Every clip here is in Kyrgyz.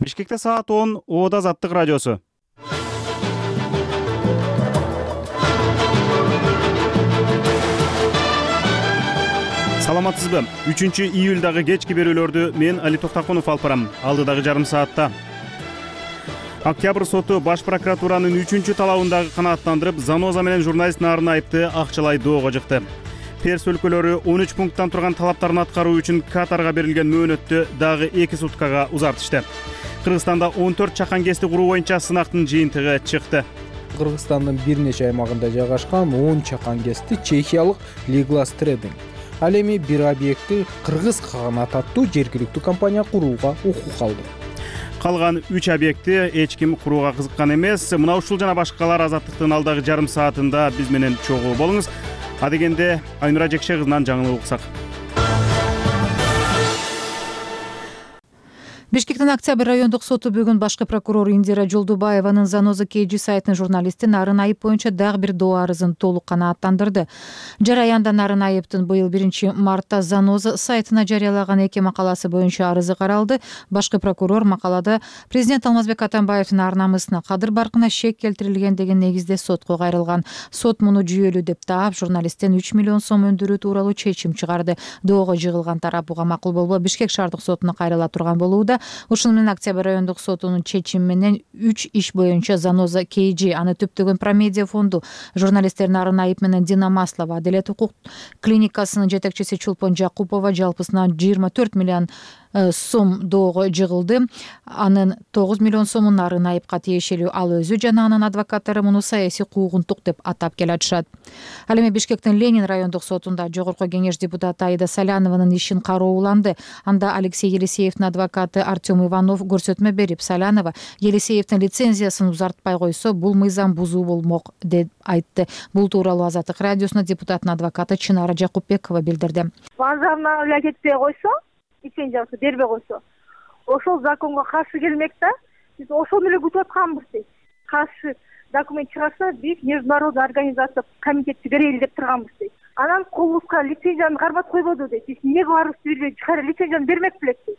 Бишкекте саат 10, Оода Азаттык радиосу. Саламатсызбы? 3-июлдагы кечки берүүлөрдү мен Али Токтакунов алып барам. Алдыдагы жарым саатта Октябрь соту Баш прокуратуранын 3-талабындагы канааттандырып, Заноза менен журналист Нарын Айыпты акчалай доого жыкты. Перс өлкөлөрү 13 пункттан турган талаптарын аткаруу үчүн Катарга берилген мөөнөттү дагы 2 суткага узартышты. Кыргызстанда 14 чакан кести куруу боюнча сынактын жыйынтыгы чыкты. Кыргызстандын бир нече аймагында жайгашкан 10 чакан кести чехиялык Liglas Trading. Ал эми бир объектти Кыргыз каганат аттуу жергиликтүү компания курууга укук алды. Калган 3 объектти эч ким курууга кызыккан эмес. Мына ушул жана башкалар Азаттыктын алдагы жарым саатында биз менен чогуу болуңуз. Адегенде Айнура Жекше кызынан жаңылык уксак. Бишкектин Октябрь райондук соту бүгүн башкы прокурор Индира Жолдубаеванын Заноза KG сайтынын журналисти Нарын Айып боюнча дагы бир доо арызын толук канааттандырды. Жараянда Нарын Айыптын быйыл 1 мартта Заноза сайтына жарыялаган 2 макаласы боюнча арызы каралды. Башкы прокурор макалада президент Алмазбек Атамбаевдин ар намысына, кадыр баркына шек келтирилген деген негизде сотко кайрылган. Сот муну жүйөлүү деп таап, журналисттен 3 миллион сом өндүрүү тууралуу чечим чыгарды. Доого жыгылган тарап буга макул болбой Бишкек шаардык сотуна кайрыла турган болууда. Ушуну менен Октябрь райондук сотунун чечими менен 3 иш боюнча Заноза KG, аны түптөгөн Промедиа фонду, журналисттер Нарын Айып менен Дина Маслова, Аделет укук клиникасынын жетекчиси Чулпон Жакупова жалпысынан 24 миллион сом доого жыгылды. Анын 9 миллион сомун Нарын Айыпка тиешелүү, ал өзү жана анын адвокаттары муну саясий куугунтук деп атап келатышат. Ал эми Бишкектин Ленин райондук сотунда Жогорку кеңеш депутаты Аида Салянованын ишин карооланды. Анда Алексей Елисеевдин адвокаты Артем Иванов көрсөтмө берип, Салянова Елисеевдин лицензиясын узартпай койсо, бул мыйзам бузуу болмок деп айтты. Бул тууралуу Азаттык радиосуна депутаттын адвокаты Чынара Жакупбекова билдирди. Базарына кетпей койсо, лицензиясы бербей койсо, ошол законго каршы келмек да. Биз ошону эле күтүп атканбыз дейт. Каршы документ чыгарса, биз международный организация комитетти берели деп турганбыз дейт. Анан колубузга лицензияны кармап койбоду дейт. Биз эмнеге барыбызды билбей чыкара лицензияны бермек белек дейт.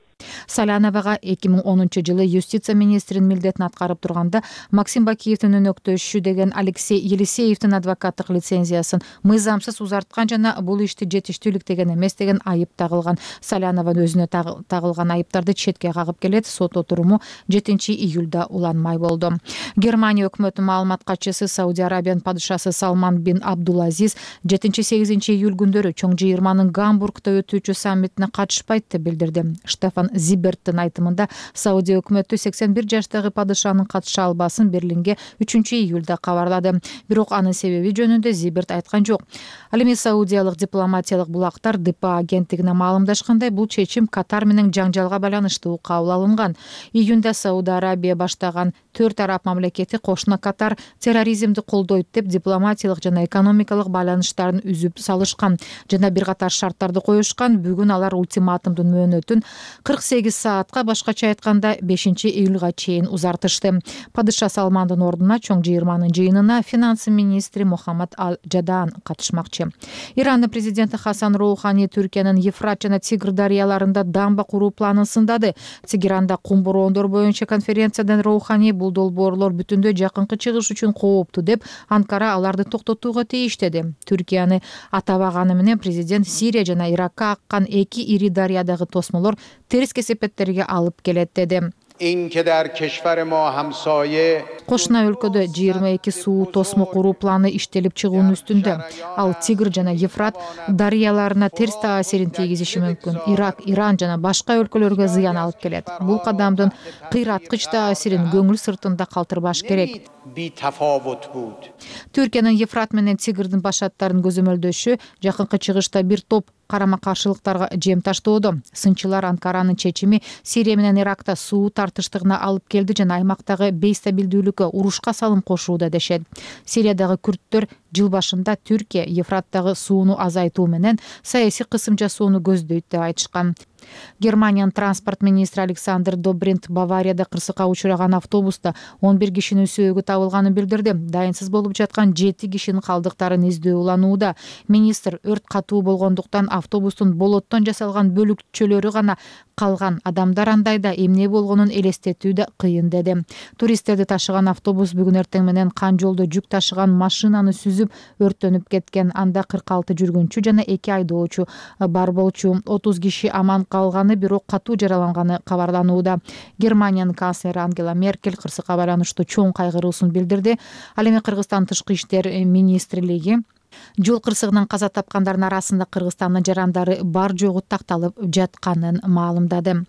Саляновага 2010 юстиция министринин милдетин аткарып турганда Максим Бакиевдин өнөктөшү деген Алексей Елисеевдин адвокаттык лицензиясын мыйзамсыз узарткан жана бул ишти жетиштүүлүктөгөн эмес деген айып тагылган. Салянованын өзүнө тагылган айыптарды четке кагып келет. Сот отуруму 7 июлда уланмай болду. Германия өкмөтүнүн маалымат катчысы Сауди Арабиянын падышасы Салман бин Абдулазиз 7-8 июль күндөрү чоң жыйырманын Гамбургда өтүүчү саммитине катышпайт деп билдирди. Штефан Зиберттин айтымында Саудия өкмөтү 81 жаштагы падышанын катыша албасын Берлинге 3 июлда кабарлады. Бирок анын себеби жөнүндө Зиберт айткан жок. Ал эми саудиялык дипломатиялык булактар ДПА агенттигине маалымдашкандай, бул чечим Катар менен жаңжалга байланыштуу кабыл алынган. Июнда Сауд Арабия баштаган 4 араб мамлекети кошуна Катар терроризмди колдойт деп дипломатиялык жана экономикалык байланыштарын үзүп салышкан жана бир катар шарттарды коюшкан. Бүгүн алар ультиматумдун мөөнөтүн 48 саатка, башкача айтканда 5 июлга чейин узартышты. Падыша Салмандын ордуна чоң жыйырманын жыйынына финансы министри Мухаммад Ал-Джадан катышмакчы. Ирандын президенти Хасан Роухани Түркиянын Ефрат жана Тигр дарыяларында дамба куруу планын сындады. Тегеранда кум бороондор боюнча конференциядан Роухани бул долбоорлор бүтүндөй жакынкы чыгыш үчүн кооптуу деп, Анкара аларды токтотууга тийиштеди. Түркияны атабаганы менен президент Сирия жана Иракка аккан 2 ири дарыядагы тосмолор терс кесепеттерге алып келет деди. Кошуна өлкөдө 22 суу тосмо куруу планы иштелип чыгуунун үстүндө. Ал Тигр жана Ефрат дарыяларына терс таасирин тийгизиши мүмкүн. Ирак, Иран жана башка өлкөлөргө зыян алып келет. Бул кадамдын кыйраткыч таасирин көңүл сыртында калтырбаш керек. Түркиянын Ефрат менен Тигрдин башаттарын көзөмөлдөшү жакынкы чыгышта бир топ карама каршылыктарга жем таштоодо. Сынчылар Анкаранын чечими Сирия менен Иракта суу тартыштыгына алып келди жана аймактагы бейстабилдүүлүккө, урушка салым кошууда дешет. Сириядагы күрттөр жыл башында Түркия Ефраттагы сууну азайтуу менен саясий кысым жасоону көздөйт деп айтышкан. Германиянын транспорт министри Александр Добринт Баварияда кырсыкка учураган автобуста 11 кишинин сөөгү табылганын билдирди. Дайынсыз болуп жаткан 7 кишинин калдыктарын издөө уланууда. Министр өрт катуу болгондуктан автобустун болоттон жасалган бөлүкчөлөрү гана калган адамдар андайда эмне болгонун элестетүү да кыйын деди. Туристтерди ташыган автобус бүгүн эртең менен Кан жолдо жүк ташыган машинаны сүзүп өрттөнүп кеткен. Анда 46 жүргүнчү жана 2 айдоочу бар болчу. 30 киши аман калганы, бирок катуу жараланганы кабарланууда. Германиянын канцлери Ангела Меркель кырсыкка байланыштуу чоң кайгыруусун билдирди. Ал эми Кыргызстан Тышкы иштер министрлиги жол кырсыгынан каза тапкандардын арасында Кыргызстандын жарандары бар жогу такталып жатканын маалымдады.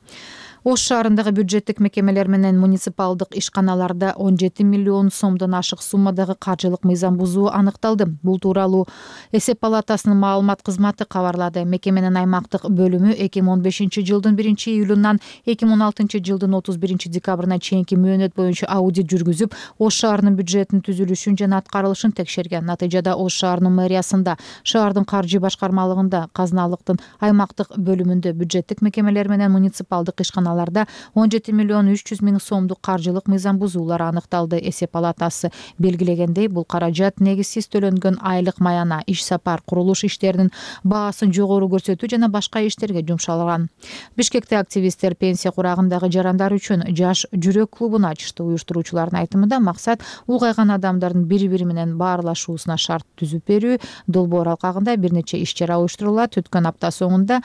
Ош шаарындагы бюджеттик мекемелер менен муниципалдык ишканаларда 17 миллион сомдон ашык суммадагы каржылык мыйзам бузуу аныкталды. Бул тууралуу Эсеп палатасынын маалымат кызматы кабарлады. Мекеменин аймактык бөлүмү 2015 жылдын 1-июлунан 2016 жылдын 31 декабрына чейинки мөөнөт боюнча аудит жүргүзүп, Ош шаарынын бюджетинин түзүлүшүн жана аткарылышын текшерген. Натыйжада Ош шаарынын мэриясында, шаардын каржы башкармалыгында, казыналыктын аймактык бөлүмүндө, бюджеттик мекемелер менен муниципалдык ишканаларда 17 миллион 300 миң сомдук каржылык мыйзам бузуулар аныкталды. Эсеп палатасы белгилегендей, бул каражат негизсиз төлөнгөн айлык маяна, иш сапар, курулуш иштеринин баасын жогору көрсөтүү жана башка иштерге жумшалган. Бишкекте активисттер пенсия курагындагы жарандар үчүн жаш жүрөк клубун ачышты. Уюштуруучулардын айтымында максат улгайган адамдардын бири-бири менен баарлашуусуна шарт түзүп берүү. Долбоор алкагында бир нече иш чара уюштурулат. Өткөн апта соңунда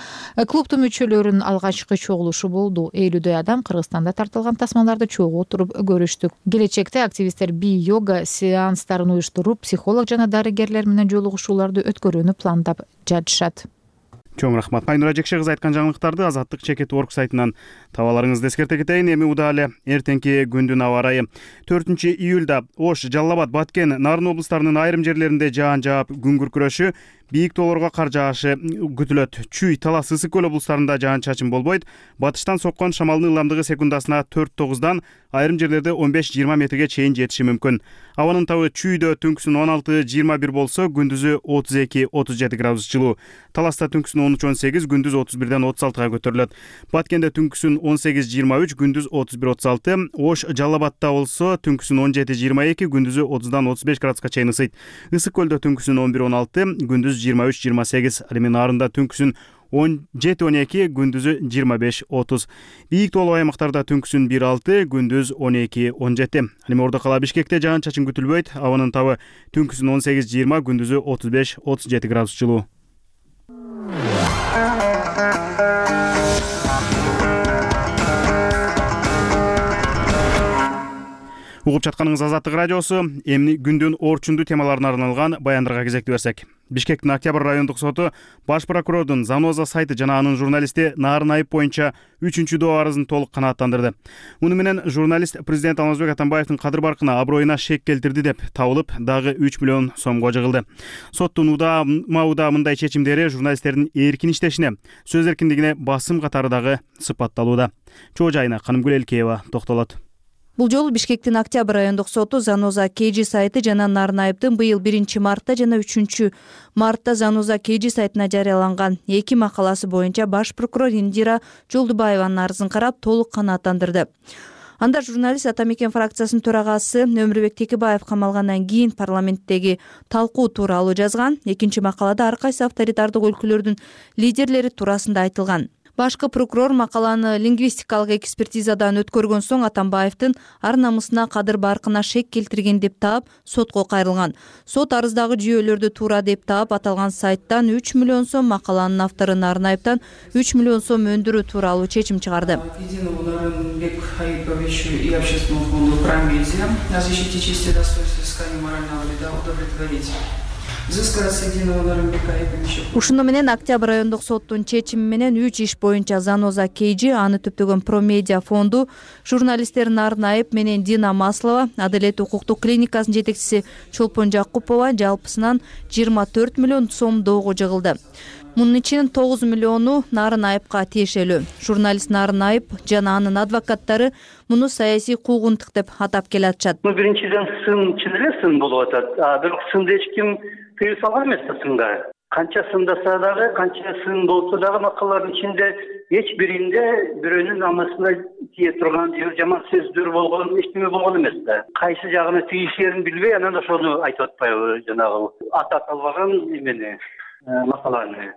клубтун мүчөлөрүнүн алгачкы чогулушу болду. 50 адам Кыргызстанда тартылган тасмаларды чогуу отуруп көрүштүк. Келечекте активисттер би-йога сеанстарын уюштуруп, психолог жана дарыгерлер менен жолугушууларды өткөрүүнү пландап жатышат. Чоң рахмат. Айнура Жекше кызы айткан жаңылыктарды Азаттык ЧК.org сайтынан таба аларыңызды эскерте кетейин. Эми уда эле эртеңки күндүн аба ырайы. 4-июлда Ош, Жалал Абад, Баткен, Нарын облустарынын айрым жерлеринде жаан жаап, күн күркүрөшү, бийик тоолорго кар жаашы күтүлөт. Чүй, Талас, Ысык көл облустарында жаан-чачын болбойт. Батыштан соккон шамалдын ыламдыгы секундасына 4-9дан, айрым жерлерде 15-20 метрге чейин жетиши мүмкүн. Абанын табы Чүйдө түнкүсүн 16-21 болсо, күндүзү 32-37 градус жылуу. Таласта түнкүсүн 13-18, күндүз 31-ден 36-га көтөрүлөт. Баткенде түнкүсүн 18-23, күндүз 31-36. Ош, Жалал Абадта болсо, түнкүсүн 17-22, күндүзү 30-дан 35 градуска чейин ысыйт. Ысык көлдө түнкүсүн 11-16, күндүз 23-28, ал эми Нарында түнкүсүн 17-12, күндүзү 25-30. Бийик тоолуу аймактарда түнкүсүн 1-6, күндүз 12-17. Ал эми Ордо кала Бишкекте жаан-чачын күтүлбөйт. Абанын табы түнкүсүн 18-20, күндүзү 35-37 градус жылуу. Угуп жатканыңыз Азаттык радиосу. Эмни күндүн орчундуу темаларына арналган баяндарга кезекти берсек. Бишкектин Октябрь райондук соту баш прокурордун Заноза сайты жана анын журналисти Нарын Айып боюнча 3-доо арызын толук канааттандырды. Муну менен журналист президент Алмазбек Атамбаевдин кадыр баркына, аброюна шек келтирди деп табылып, дагы 3 миллион сомго жыгылды. Соттун удаа мындай чечимдери журналисттердин эркин иштешине, сөз эркиндигине басым катары дагы сыпатталууда. Чоо жайына Канымгүл Элкеева токтолот. Бул жолу Бишкектин Октябрь райондук соту Заноза KG сайты жана Нарын Айыптын быйыл 1-мартта жана 3-мартта Заноза KG сайтына жарыяланган 2 макаласы боюнча баш прокурор Индира Жолдубаеванын арызын карап толук канааттандырды. Анда журналист Атамекен фракциясынын төрагасы Өмүрбек Текебаев камалгандан кийин парламенттеги талкуу тууралуу жазган. Экинчи макалада ар кайсы авторитардык өлкөлөрдүн лидерлери туурасында айтылган. Башкы прокурор макаланы лингвистикалык экспертизадан өткөргөн соң Атамбаевдин ар намысына, кадыр баркына шек келтирген деп таап сотко кайрылган. Сот арыздагы жүйөлөрдү туура деп таап аталган сайттан 3 миллион сом, макаланын автору Нарын Айыптан 3 миллион сом өндүрүү тууралуу чечим чыгарды. Ушуну менен Октябрь райондук соттун чечими менен 3 иш боюнча Заноза KG, аны түптөгөн Промедиа фонду, журналисттер Нарын Айып менен Дина Маслова, Адалет укуктук клиникасынын жетекчиси Чолпон Жакупова жалпысынан 24 миллион сом доого жыгылды. Мунун ичинин 9 миллиону Нарын Айыпка тиешелүү. Журналист Нарын Айып жана анын адвокаттары муну саясий куугунтук деп атап келатышат. Биринчиден сын чын эле сын болуп атат. Бирок сынды эч ким тыюу салган эмес да сынга. Канча сындаса дагы, канча сын болсо дагы макалалардын ичинде эч биринде бирөөнүн намысына тие турган же жаман сөздөр болгон, эчтеме болгон эмес да. Кайсы жагына тийишерин билбей, анан ошону айтып атпайбы, жанагы аты аталбаган эмени, макаланы.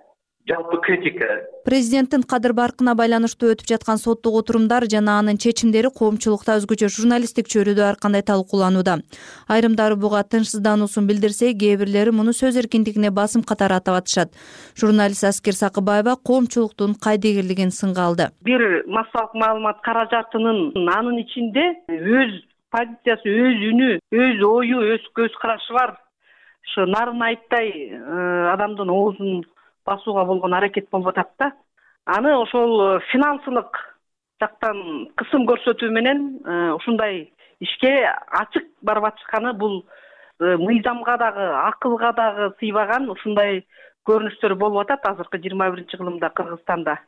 жалпы критика. Президенттин кадыр баркына байланыштуу өтүп жаткан соттук отурумдар жана анын чечимдери коомчулукта өзгөчө журналисттик чөйрөдө ар кандай талкууланууда. Айрымдары буга тынчсыздануусун билдирсе, кээ бирлери муну сөз эркиндигине басым катары атап атышат. Журналист Аскер Сакыбаева коомчулуктун кайдыгерлигин сынга алды. Бир массалык маалымат каражатынын анын ичинде өз позициясы, өз үнү, өз ою, өз көз карашы бар. Ушу нарын айыттай адамдын оозун басууга болгон аракет болуп атат да. Аны ошол финансылык жактан кысым көрсөтүү менен ушундай ишке ачык барып атышканы бул мыйзамга дагы, акылга дагы сыйбаган ушундай көрүнүштөр болуп атат азыркы 21-кылымда Кыргызстанда.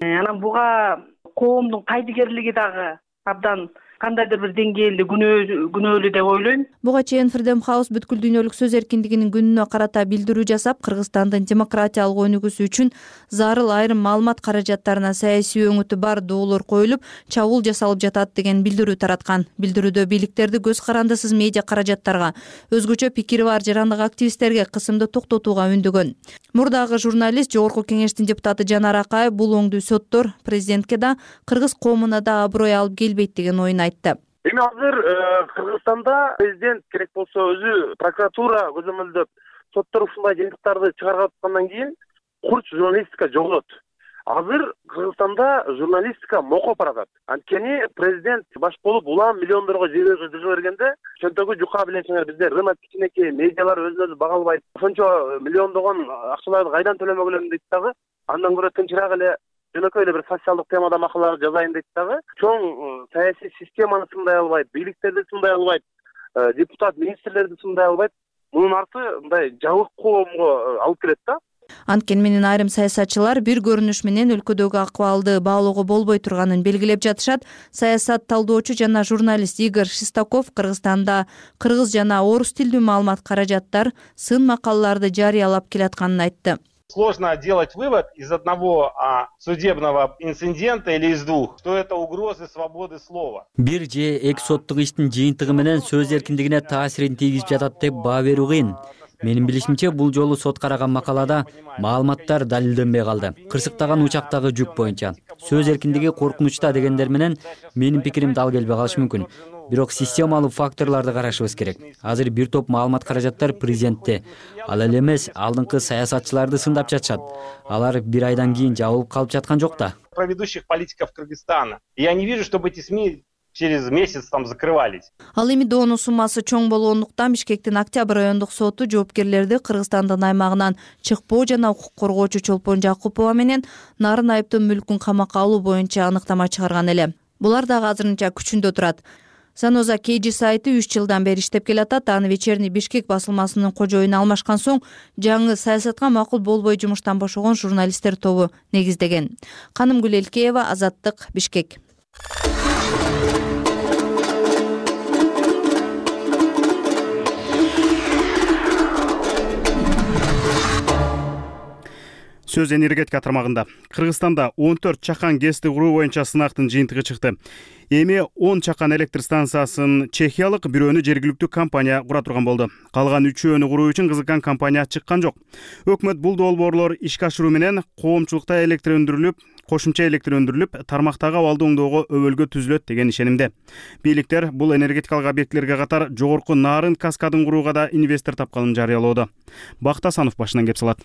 Анан буга коомдун кайдыгерлиги дагы абдан кандайдыр бир деңгээлде күнөөлүү деп ойлойм. Буга чейин Freedom House бүткүл дүйнөлүк сөз эркиндигинин күнүнө карата билдирүү жасап, Кыргызстандын демократиялык өнүгүүсү үчүн зарыл айрым маалымат каражаттарына саясий өңүтү бар доолор коюлуп, чабуул жасалып жатат деген билдирүү тараткан. Билдирүүдө бийликтерди көз карандысыз медиа каражаттарга, өзгөчө пикири бар жарандык активисттерге кысымды токтотууга үндөгөн. Мурдагы журналист, Жогорку Кеңештин депутаты Жанар Акаев бул оңдуу соттор президентке да, кыргыз коомуна да аброй алып келбейт деген оюн айтты. Эми азыр Кыргызстанда президент керек болсо өзү прокуратура көзөмөлдөп соттор ушундай жыйынтыктарды чыгарып аткандан кийин курч журналистика жоголот. Азыр Кыргызстанда журналистика мокоп баратат. Анткени президент баш болуп улам миллиондорго жыга бергенде чөнтөгү жука билесиңер, бизде рынок кичинекей, медиалар өзүн-өзү багалбайт. Ошончо миллиондогон акчаларды кайдан төлөмөгөлөм дейт дагы. Андан көрө тынчыраак эле жөнөкөй эле бир социалдык темада макалалар жазайын дейт дагы. Чоң саясий системаны сындай албайт, бийликтерди сындай албайт, депутат, министрлерди сындай албайт. Мунун арты мындай жабык коомго алып келет да. Анткени менен айрым саясатчылар бир көрүнүш менен өлкөдөгү акыбалды баалоого болбой турганын белгилеп жатышат. Саясат талдоочу жана журналист Игорь Шестаков Кыргызстанда кыргыз жана орус тилдүү маалымат каражаттар сын макалаларды жарыялап келатканын айтты. Сложно делать вывод из одного судебного инцидента или из двух, что это угрозы свободы слова. Бир же эки соттук иштин жыйынтыгы менен сөз эркиндигине таасирин тийгизип жатат деп баа берүү кыйын. Менин билишимче, бул жолу сот караган макалада маалыматтар далилденбей калды. Кырсыктаган учактагы жүк боюнча сөз эркиндиги коркунучта дегендер менен менин пикирим дал келбей калышы мүмкүн. Бирок системалуу факторлорду карашыбыз керек. Азыр бир топ маалымат каражаттар президентте, ал эле эмес алдыңкы саясатчыларды сындап жатышат. Алар бир айдан кийин жабылып калып жаткан жок да. Про ведущих политиков Кыргызстана. Я не вижу, чтобы эти СМИ через месяц там закрывались. Ал эми доонун суммасы чоң болгондуктан Бишкектин Октябрь райондук соту жоопкерлерди Кыргызстандын аймагынан чыкпоо жана укук коргоочу Чолпон Жакупова менен нарын айыптын мүлкүн камакка алуу боюнча аныктама чыгарган эле. Булар дагы азырынча күчүндө турат. Заноза KG сайты 3 жылдан бери иштеп келатат. Аны Вечерний Бишкек басылмасынын кожоюну алмашкан соң жаңы саясатка макул болбой жумуштан бошогон журналисттер тобу негиздеген. Канымгүл Элкеева, Азаттык, Бишкек. Сөз энергетика тармагында Кыргызстанда 14 чакан ГЭСти куруу боюнча сынактын жыйынтыгы чыкты. Эми 10 чакан электр станциясын чехиялык, бирөөнү жергиликтүү компания кура турган болду. Калган 3-өөнү куруу үчүн кызыккан компания чыккан жок. Өкмөт бул долбоорлор ишке ашыруу менен коомчулукта электр өндүрүлүп, кошумча электр өндүрүлүп, тармактагы абалды оңдоого өбөлгө түзүлөт деген ишенимде. Бийликтер бул энергетикалык объектилерге катар жогорку нарын каскадын курууга да инвестор тапканын жарыялоодо. Бактасанов башынан кеп салат.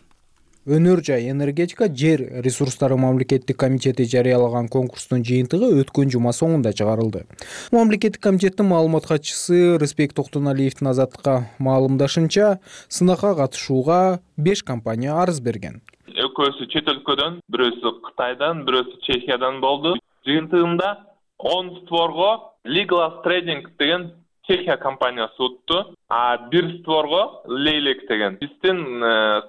Өнөр жай энергетика жер ресурстары мамлекеттик комитети жарыялаган конкурстун жыйынтыгы өткөн жума соңунда чыгарылды. Мамлекеттик комитеттин маалымат катчысы Рыспек Токтоналиевдин Азаттыкка маалымдашынча, сынакка катышууга 5 компания арыз берген. Экөөсү чет өлкөдөн, бирөөсү Кытайдан, бирөөсү Чехиядан болду. Жыйынтыгында 10 створго Legal Trading деген Чехия компаниясы утту, а бир створго Leylek деген биздин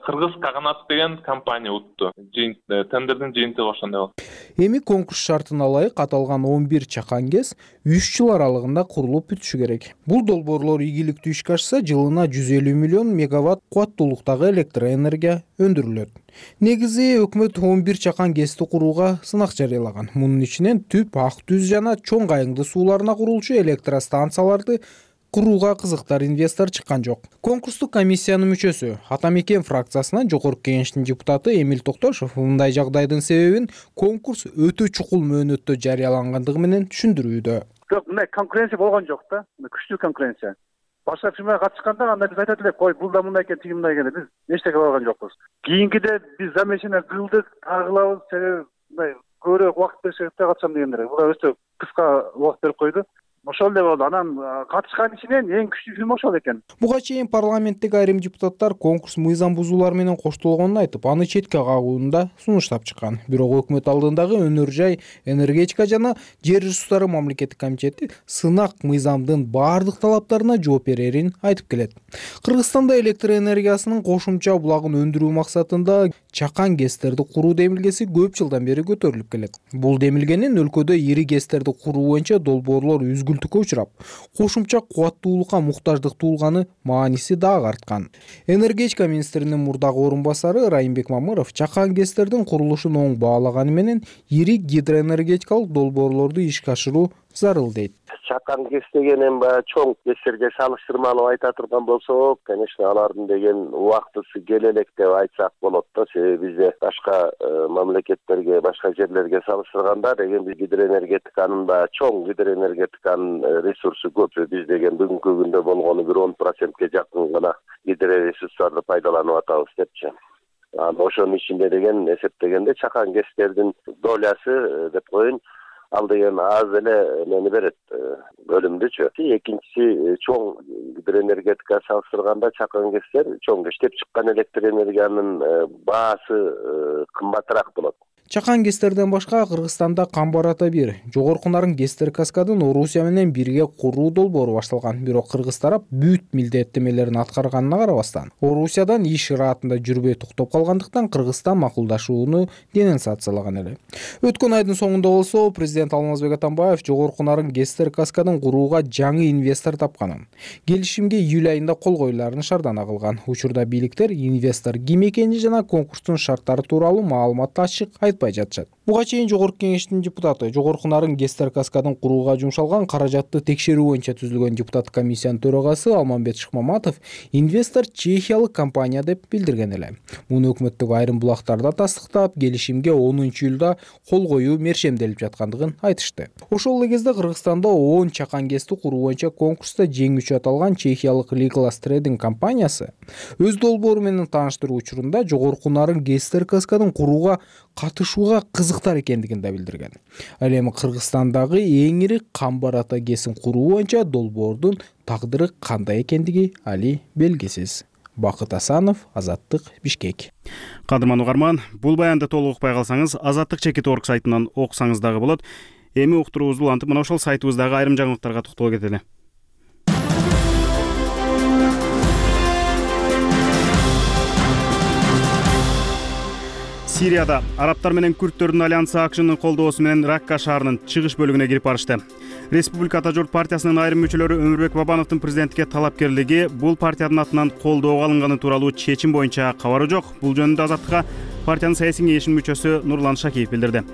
Кыргыз Каганат деген компания утту. Тендердин жыйынтыгы ошондой болду. Эми конкурс шартына ылайык аталган 11 чакан ГЭС 3 жыл аралыгында курулуп бүтүшү керек. Бул долбоорлор ийгиликтүү ишке ашса, жылына 150 миллион мегаватт кубаттуулуктагы электр энергия өндүрүлөт. Негизи өкмөт 11 чакан ГЭСти курууга сынак жарыялаган. Мунун ичинен Түп, Ак Түз жана Чоң Кайыңды сууларына курулчу электростанцияларды курууга кызыктар инвестор чыккан жок. Конкурстук комиссиянын мүчөсү Ата Мекен фракциясынан Жогорку Кеңештин депутаты Эмил Токтошов мындай жагдайдын себебин конкурс өтө чукул мөөнөттө жарыялангандыгы менен түшүндүрүүдө. Жок, мындай конкуренция болгон жок да. Күчтүү конкуренция. Башка фирмага катышканда анда биз айтат элек, кой, бул да мындай экен, тиги мындай экен. Биз эчтеке болгон жокпуз. Кийинкиде биз замешана кылдык, кылабыз, себеби мындай көбүрөөк убакыт беришет да катышам дегендер. Булар өтө кыска убакыт берип койду. Ошол эле болду. Анан катышкан ичинен эң күчтүү фирма ошол экен. Буга чейин парламенттеги айрым депутаттар конкурс мыйзам бузуулар менен коштолгонун айтып, аны четке кагууну да сунуштап чыккан. Бирок өкмөт алдындагы өнөр жай, энергетика жана жер ресурстары мамлекеттик комитети сынак мыйзамдын баардык талаптарына жооп берерин айтып келет. Кыргызстанда электр энергиясынын кошумча булагын өндүрүү максатында чакан ГЭСтерди куруу демилгеси көп жылдан бери көтөрүлүп келет. Бул демилгенин өлкөдө ири ГЭСтерди куруу боюнча долбоорлор үзгүлтүккө учурап, кошумча кубаттуулукка муктаждык туулганы мааниси дагы арткан. Энергетика министринин мурдагы орун басары Райымбек Мамыров чакан ГЭСтердин курулушун оң баалаганы менен ири гидроэнергетикалык долбоорлорду ишке ашыруу зарыл дейт. Чакан ГЭС деген эми баягы чоң ГЭСтерге салыштырмалуу айта турган болсок, конечно, алардын деген убактысы келе элек деп айтсак болот да. Себеби бизде башка мамлекеттерге, башка жерлерге салыштырганда деген биз гидроэнергетиканын баягы чоң гидроэнергетиканын ресурсу көп. Биз деген бүгүнкү күндө болгону бир 10%ке жакын гана гидроресурстарды пайдаланып атабыз депчи. Ошонун ичинде деген эсептегенде чакан ГЭСтердин долясы деп коеюн, ал деген аз эле мени берет, бөлүмдүчү. Экинчиси, чоң гидроэнергетика салыштырганда чакан ГЭСтер чоң иштеп чыккан электр энергиянын баасы кымбатыраак болот. Чакан ГЭСтерден башка Кыргызстанда Камбар-Ата 1, Жогорку Нарын ГЭСтер каскадын Орусия менен бирге куруу долбоору башталган. Бирок кыргыз тарап бүт милдеттемелерин аткарганына карабастан, Орусиядан иш ыраатында жүрбөй токтоп калгандыктан Кыргызстан макулдашууну денонсациялаган эле. Өткөн айдын соңунда болсо, президент Алмазбек Атамбаев Жогорку Нарын ГЭСтер каскадын курууга жаңы инвестор тапканын, келишимге июль айында кол коюларын шаардана кылган. Учурда бийликтер инвестор ким экени жана конкурстун шарттары тууралуу маалыматты ачык айтпай жатышат. Буга чейин Жогорку Кеңештин депутаты Жогорку Нарын ГЭСтер каскадын курууга жумшалган каражатты текшерүү боюнча түзүлгөн депутат комиссиянын төрагасы Алмамбет Шыкмаматов инвестор чехиялык компания деп билдирген эле. Муну өкмөттөгү айрым булактарда тастыктап, келишимге 10-июлда кол коюу мершемделип жаткандыгын айтышты. Ошол эле кезде Кыргызстанда 10 чакан ГЭСти куруу боюнча конкурста жеңүүчү аталган чехиялык Legal Trading компаниясы өз долбоору менен тааныштыруу учурунда Жогорку Нарын ГЭСтер каскадын курууга катышууга кызыктар экендигин да билдирген. Ал эми Кыргызстандагы эң ири Камбар-Ата ГЭСин куруу боюнча долбоордун тагдыры кандай экендиги али белгисиз. Бакыт Асанов, Азаттык, Бишкек. Кадырман угарман, бул баянды толук укпай калсаңыз, azattik.org сайтынан окусаңыз дагы болот. Эми уктуруубузду улантып, мына ошол сайтыбыздагы айрым жаңылыктарга токтоло кетели. Сирияда арабтар менен күрттөрдүн альянсы АКШнын колдоосу менен Ракка шаарынын чыгыш бөлүгүнө кирип барышты. Республика Ата журт партиясынын айрым мүчөлөрү Өмүрбек Бабановдун президенттикке талапкерлиги, бул партиянын атынан колдоого алынганы тууралуу чечим боюнча кабары жок. Бул жөнүндө Азаттыкка партиянын саясий кеңешинин мүчөсү Нурлан Шакиев билдирди.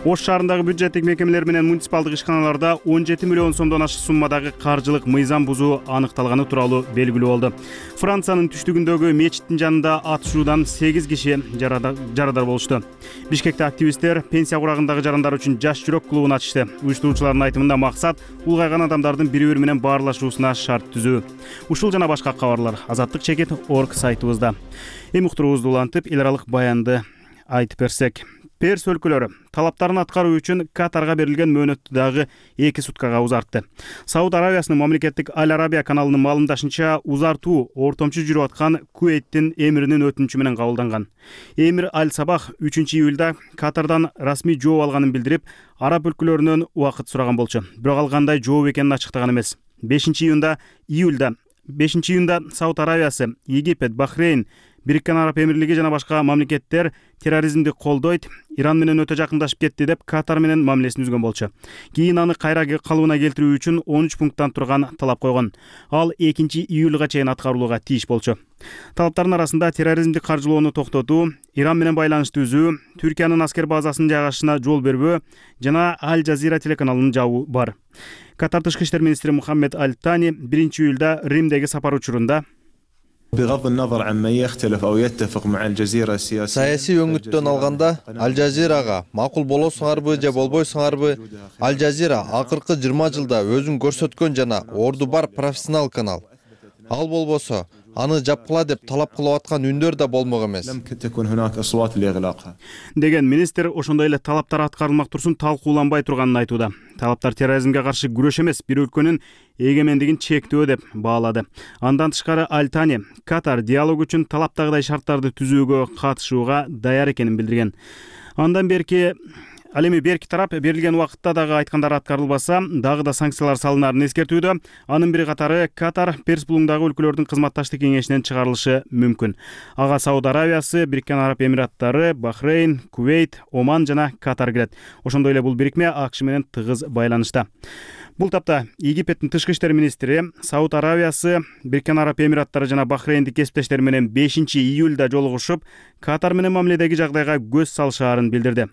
Ош шаарындагы бюджеттик мекемелер менен муниципалдык ишканаларда 17 миллион сомдон ашык суммадагы каржылык мыйзам бузуу аныкталганы тууралуу белгилүү болду. Франциянын түштүгүндөгү мечиттин жанында атышуудан 8 киши жарадар болушту. Бишкекте активисттер пенсия курагындагы жарандар үчүн жаш жүрөк клубун ачышты. Уюштуруучулардын айтымында максат улгайган адамдардын бири-бири менен баарлашуусуна шарт түзүү. Ушул жана башка кабарлар azattik.org сайтыбызда. Эми уктуруубузду улантып, эл аралык баянды айтып берсек. Перс өлкөлөрү талаптарын аткаруу үчүн Катарга берилген мөөнөттү дагы 2 суткага узартты. Сауд Аравиясынын мамлекеттик Аль Арабия каналынын маалымдашынча, узартуу ортомчу жүрүп аткан Куэйттин эмиринин өтүнүчү менен кабылданган. Эмир Аль Сабах 3-июлда Катардан расмий жооп алганын билдирип, араб өлкөлөрүнөн убакыт сураган болчу. Бирок ал кандай жооп экенин ачыктаган эмес. 5-июлда Сауд Аравиясы, Египет, Бахрейн, Бириккен Араб Эмирлиги жана башка мамлекеттер терроризмди колдойт, Иран менен өтө жакындашып кетти деп Катар менен мамилесин үзгөн болчу. Кийин аны кайра калыбына келтирүү үчүн 13 пункттан турган талап койгон. Ал 2-июлга чейин аткарылууга тийиш болчу. Талаптардын арасында терроризмди каржылоону токтотуу, Иран менен байланышты үзүү, Түркиянын аскер базасынын жайгашышына жол бербөө жана Аль Жазира телеканалын жабуу бар. Катар тышкы иштер министри Мухаммед Аль Тани 1-июлда Римдеги сапар учурунда саясий өңүттөн алганда Аль Жазирага макул болосуңарбы же болбойсуңарбы, Аль Жазира акыркы 20 жылда өзүн көрсөткөн жана орду бар профессионал канал. Ал болбосо аны жапкыла деп талап кылып аткан үндөр да болмок эмес деген министр ошондой эле талаптар аткарылмак турсун талкууланбай турганын айтууда. Талаптар терроризмге каршы күрөш эмес, бир өлкөнүн эгемендигин чектөө деп баалады. Андан тышкары Аль Тани Катар диалог үчүн талаптагыдай шарттарды түзүүгө катышууга даяр экенин билдирген. Андан Ал эми берки тарап берилген убакытта дагы айткандары аткарылбаса, дагы да санкциялар салынарын эскертүүдө. Анын бири катары Катар Перс булуңдагы өлкөлөрдүн кызматташтык кеңешинен чыгарылышы мүмкүн. Ага Сауд Аравиясы, Бириккен Араб Эмираттары, Бахрейн, Кувейт, Оман жана Катар кирет. Ошондой эле бул бирикме АКШ менен тыгыз байланышта. Бул тапта Египеттин тышкы иштер министри Сауд Аравиясы, Бириккен Араб Эмираттары жана Бахрейндик кесиптештери менен 5-июлда жолугушуп, Катар менен мамиледеги жагдайга көз салышаарын билдирди.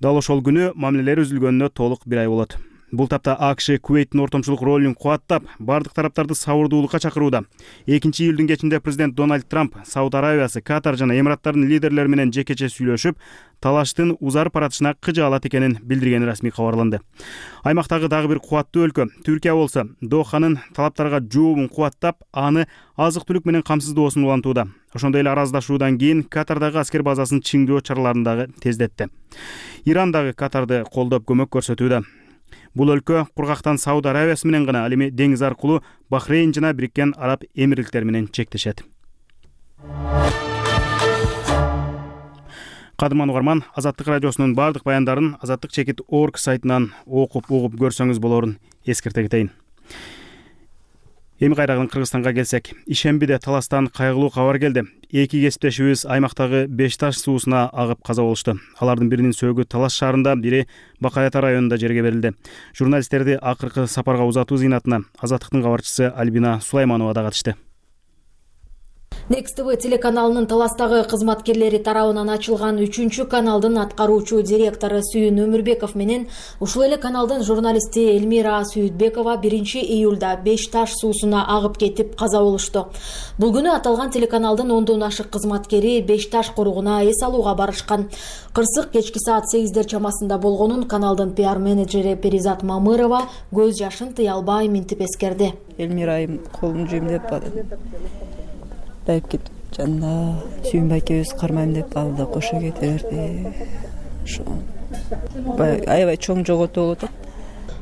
Дал ошол күнү мамилелер үзүлгөнүнө толук 1 ай болот. Бул тапта АКШ Кувейттин ортомчулук ролун кубаттап, бардык тараптарды сабырдуулукка чакырууда. 2-июлдун кечинде президент Дональд Трамп Сауд Аравиясы, Катар жана Эмираттардын лидерлери менен жекече сүйлөшүп, талаштын узарып баратышына кыжаалат экенин билдиргени расмий кабарланды. Аймактагы дагы бир кубаттуу өлкө Түркия болсо, Доханын талаптарга жообун кубаттап, аны азык-түлүк менен камсыздоосун улантууда. Ошондой эле араздашуудан кийин Катардагы аскер базасын чыңдоо чараларын дагы тездетти. Иран дагы Катарды колдоп көмөк көрсөтүүдө. Бул өлкө кургактан Сауд Аравиясы менен гана, ал эми деңиз аркылуу Бахрейн жана Бириккен Араб Эмирликтери менен чектешет. Кадырман угарман, Азаттык радиосунун бардык баяндарын azattik.org сайтынан окуп угуп көрсөңүз болорун эскерте кетейин. Эми кайраган Кыргызстанга келсек, ишембиде таластан кайгылуу кабар келди. 2 кесиптешибиз аймактагы Бешташ суусуна агып каза болушту. Алардын биринин сөөгү Талас шаарында, бири Бакаята районунда жерге берилди. Журналисттерди акыркы сапарга узатуу зыйнатына Азаттыктын кабарчысы Альбина Сулайманова да катышты. Next TV телеканалынын Таластагы кызматкерлери тарабынан ачылган 3-чү каналдын аткаруучу директору Сүйүн Өмүрбеков менен ушул эле каналдын журналисти Элмира Сүйүтбекова 1-июлда Бешташ суусуна агып кетип каза болушту. Бул күнү аталган телеканалдын 10дон ашык кызматкери Бешташ коругуна эс алууга барышкан. Кырсык кечки саат 8дер чамасында болгонун каналдын пиар менеджери Перизат Мамырова көз жашын тыя албай минтип эскерди. Элмирайым колун жүймдөп дайып кетип жанына Сүйүнбай экөөбүз кармайм деп ал да кошо кете берди. Ошо аябай чоң жоготуу болуп атат.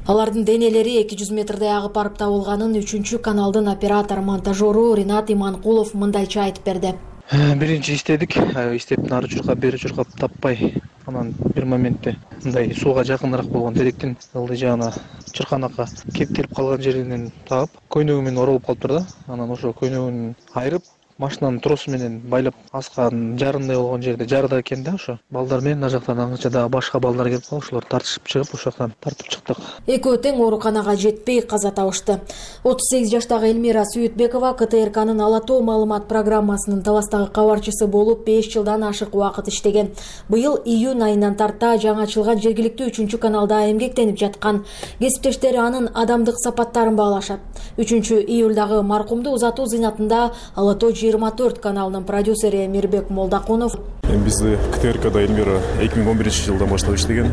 Алардын денелери 200 метрдей агып барып табылганын 3-чү каналдын оператор-монтажеру Ринат Иманкулов мындайча айтып берди. Биринчи иштедик, иштеп нары чуркап, бери чуркап таппай, анан бир моментте мындай сууга жакыныраак болгон теректин ылдый жагына чырканакка кептелип калган жеринен таап, көйнөгү менен оролуп калыптыр да. Анан ошо көйнөгүн айырып, машинанын тросу менен байлап асканын жарындай болгон жерде жарыда экен да, ошо балдар менен ана жактан аңча дагы башка балдар келип калып, ошолор тартышып чыгып, ошол жактан тартып чыктык. Экөө тең ооруканага жетпей каза табышты. 38 жаштагы Элмира Сүйүтбекова КТРКнын Ала тоо маалымат программасынын Таластагы кабарчысы болуп 5 жылдан ашык убакыт иштеген. Быйыл июнь айынан тарта жаңы ачылган жергиликтүү 3-чү каналда эмгектенип жаткан. Кесиптештери анын адамдык сапаттарын баалашат. 3-июлдагы маркумду узатуу зыйнатында Ала тоо 24 каналынын продюсери Мирбек Молдакунов. Бизди КТРКда Элмира 2011-жылдан баштап иштеген.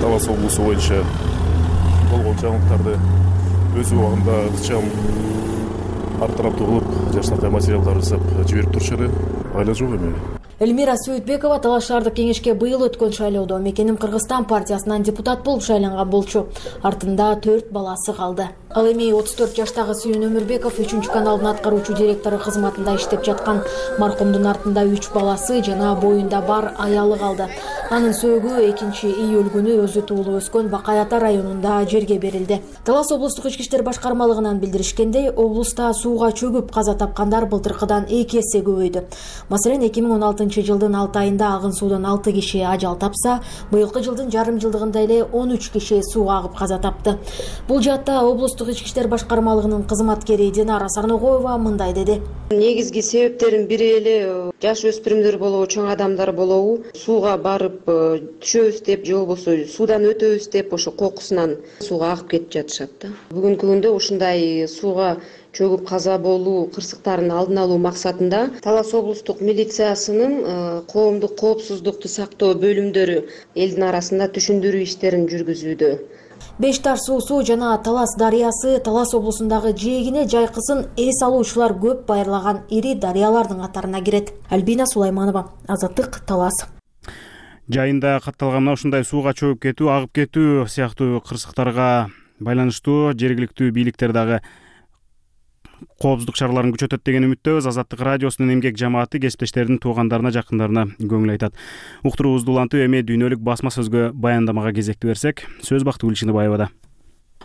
Талас облусу боюнча болгон жаңылыктарды өз убагында ыкчам артараптуу кылып, жаштакай материалдар жасап жиберип турчу эле. Айла жок эми. Элмира Сүйүтбекова Талас шаардык кеңешке быйыл өткөн шайлоодо Мекеним Кыргызстан партиясынан депутат болуп шайланган болчу. Артында 4 баласы калды. Ал эми 34 жаштагы Сүйүн Өмүрбеков 3 каналдын аткаруучу директору кызматында иштеп жаткан маркумдун артында 3 баласы жана боюнда бар аялы калды. Анын сөөгү 2-июль күнү өзү туулуп өскөн Бакай Ата районунда жерге берилди. Талас облустук ички иштер башкармалыгынан билдиришкендей, облуста сууга чөгүп каза тапкандар былтыркыдан 2 эсе көбөйдү. Маселен, 2016 жылдын 6 айында агын суудан 6 киши ажал тапса, быйылкы жылдын жарым жылдыгында эле 13 киши сууга агып каза тапты. Бул жаатта облустук ички иштер башкармалыгынын кызматкери Динара Сарногоева мындай деди. Негизги себептердин бири эле жаш өспүрүмдөр болобу, чоң адамдар болобу, сууга барып түшөбүз деп же болбосо суудан өтөбүз деп ошо кокусунан сууга агып кетип жатышат да. Бүгүнкү күндө ушундай сууга чөгүп каза болуу кырсыктарын алдын алуу максатында Талас облустук милициясынын коомдук коопсуздукту сактоо бөлүмдөрү элдин арасында түшүндүрүү иштерин жүргүзүүдө. Беш Таш суусу жана Талас дарыясы Талас облусундагы жээгине жайкысын эс алуучулар көп байырлаган ири дарыялардын катарына кирет. Альбина Сулайманова, Азаттык, Талас. Жайында катталган ушундай сууга чөгүп кетүү, агып кетүү сыяктуу кырсыктарга байланыштуу жергиликтүү бийликтер дагы коопсуздук чараларын күчөтөт деген үмүттөбүз. Азаттык радиосунун эмгек жамааты кесиптештердин туугандарына, жакындарына көңүл айтат. Уктуруубузду улантып, эми дүйнөлүк басма сөзгө баяндамага кезекти берсек, сөз Бактыгүл Чыныбаевада.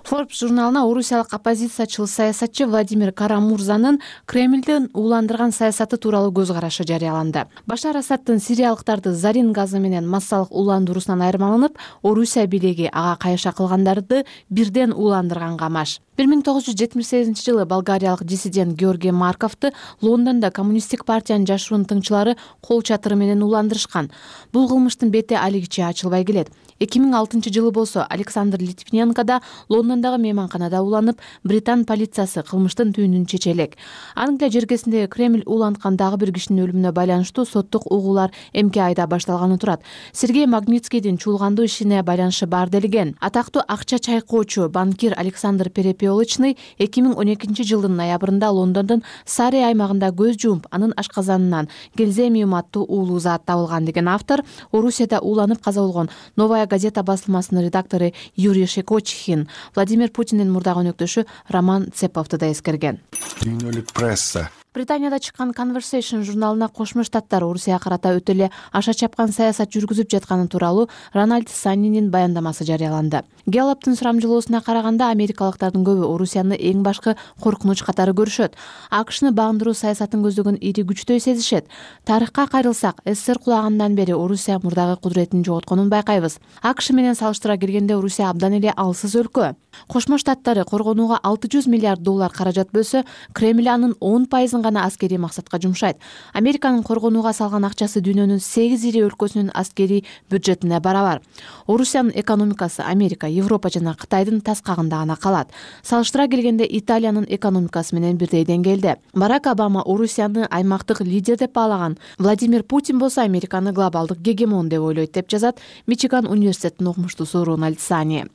Forbes журналына орусиялык оппозициячыл саясатчы Владимир Карамурзанын Кремлдин ууландырган саясаты тууралуу көз карашы жарыяланды. Башар Асаддын сириялыктарды зарин газы менен массалык ууландыруусунан айырмаланып, Орусия бийлиги ага кайша кылгандарды бирден ууландырганга маш. 1978 жылы болгариялык диссидент Георгий Марковду Лондондо коммунисттик партиянын жашыруун тыңчылары кол чатыры менен ууландырышкан. Бул кылмыштын бети алигиче ачылбай келет. 2006 жылы болсо Александр Литвиненко да Лондондогу мейманканада ууланып, Британ полициясы кылмыштын түйүнүн чече элек. Англия жергесинде Кремль ууланткан дагы бир кишинин өлүмүнө байланыштуу соттук угуулар эмки айда башталганы турат. Сергей Магнитскийдин чуулгандуу ишине байланышы бар делген. Атактуу акча чайкоочу банкир Александр Перепелочный 2012 жылдын ноябрында Лондондун Сари аймагында көз жумуп, анын ашказанынан гельземиум аттуу уулуу зат табылган деген автор Орусияда ууланып каза болгон Новая газета басылмасынын редактору Юрий Шекочихин Владимир Путиндин мурдагы өнөктөшү Роман Цеповду да эскерген. Дүйнөлүк пресса Британияда чыккан Conversation журналына Кошмо Штаттар Орусияга карата өтө эле аша чапкан саясат жүргүзүп жатканы тууралуу Рональд Саннинин баяндамасы жарыяланды. Гэллоптун сурамжылоосуна караганда америкалыктардын көбү Орусияны эң башкы коркунуч катары көрүшөт. АКШны багындыруу саясатын көздөгөн ири күчтөй сезишет. Тарыхка кайрылсак, СССР кулагандан бери Орусия мурдагы кудуретин жоготконун байкайбыз. АКШ менен салыштыра келгенде Орусия абдан эле алсыз өлкө. Кошмо Штаттары коргонууга $600 миллиард каражат бөлсө, Кремль анын 10% гана аскерий максатка жумшайт. Американын коргонууга салган акчасы дүйнөнүн 8 ири өлкөсүнүн аскерий бюджетине барабар. Орусиянын экономикасы Америка, Европа жана Кытайдын таскагында гана калат. Салыштыра келгенде Италиянын экономикасы менен бирдей деңгээлде. Барак Обама Орусияны аймактык лидер деп баалаган. Владимир Путин болсо Американы глобалдык гегемон деп ойлойт деп жазат Мичиган университетинин окумуштуусу Рональд Сани.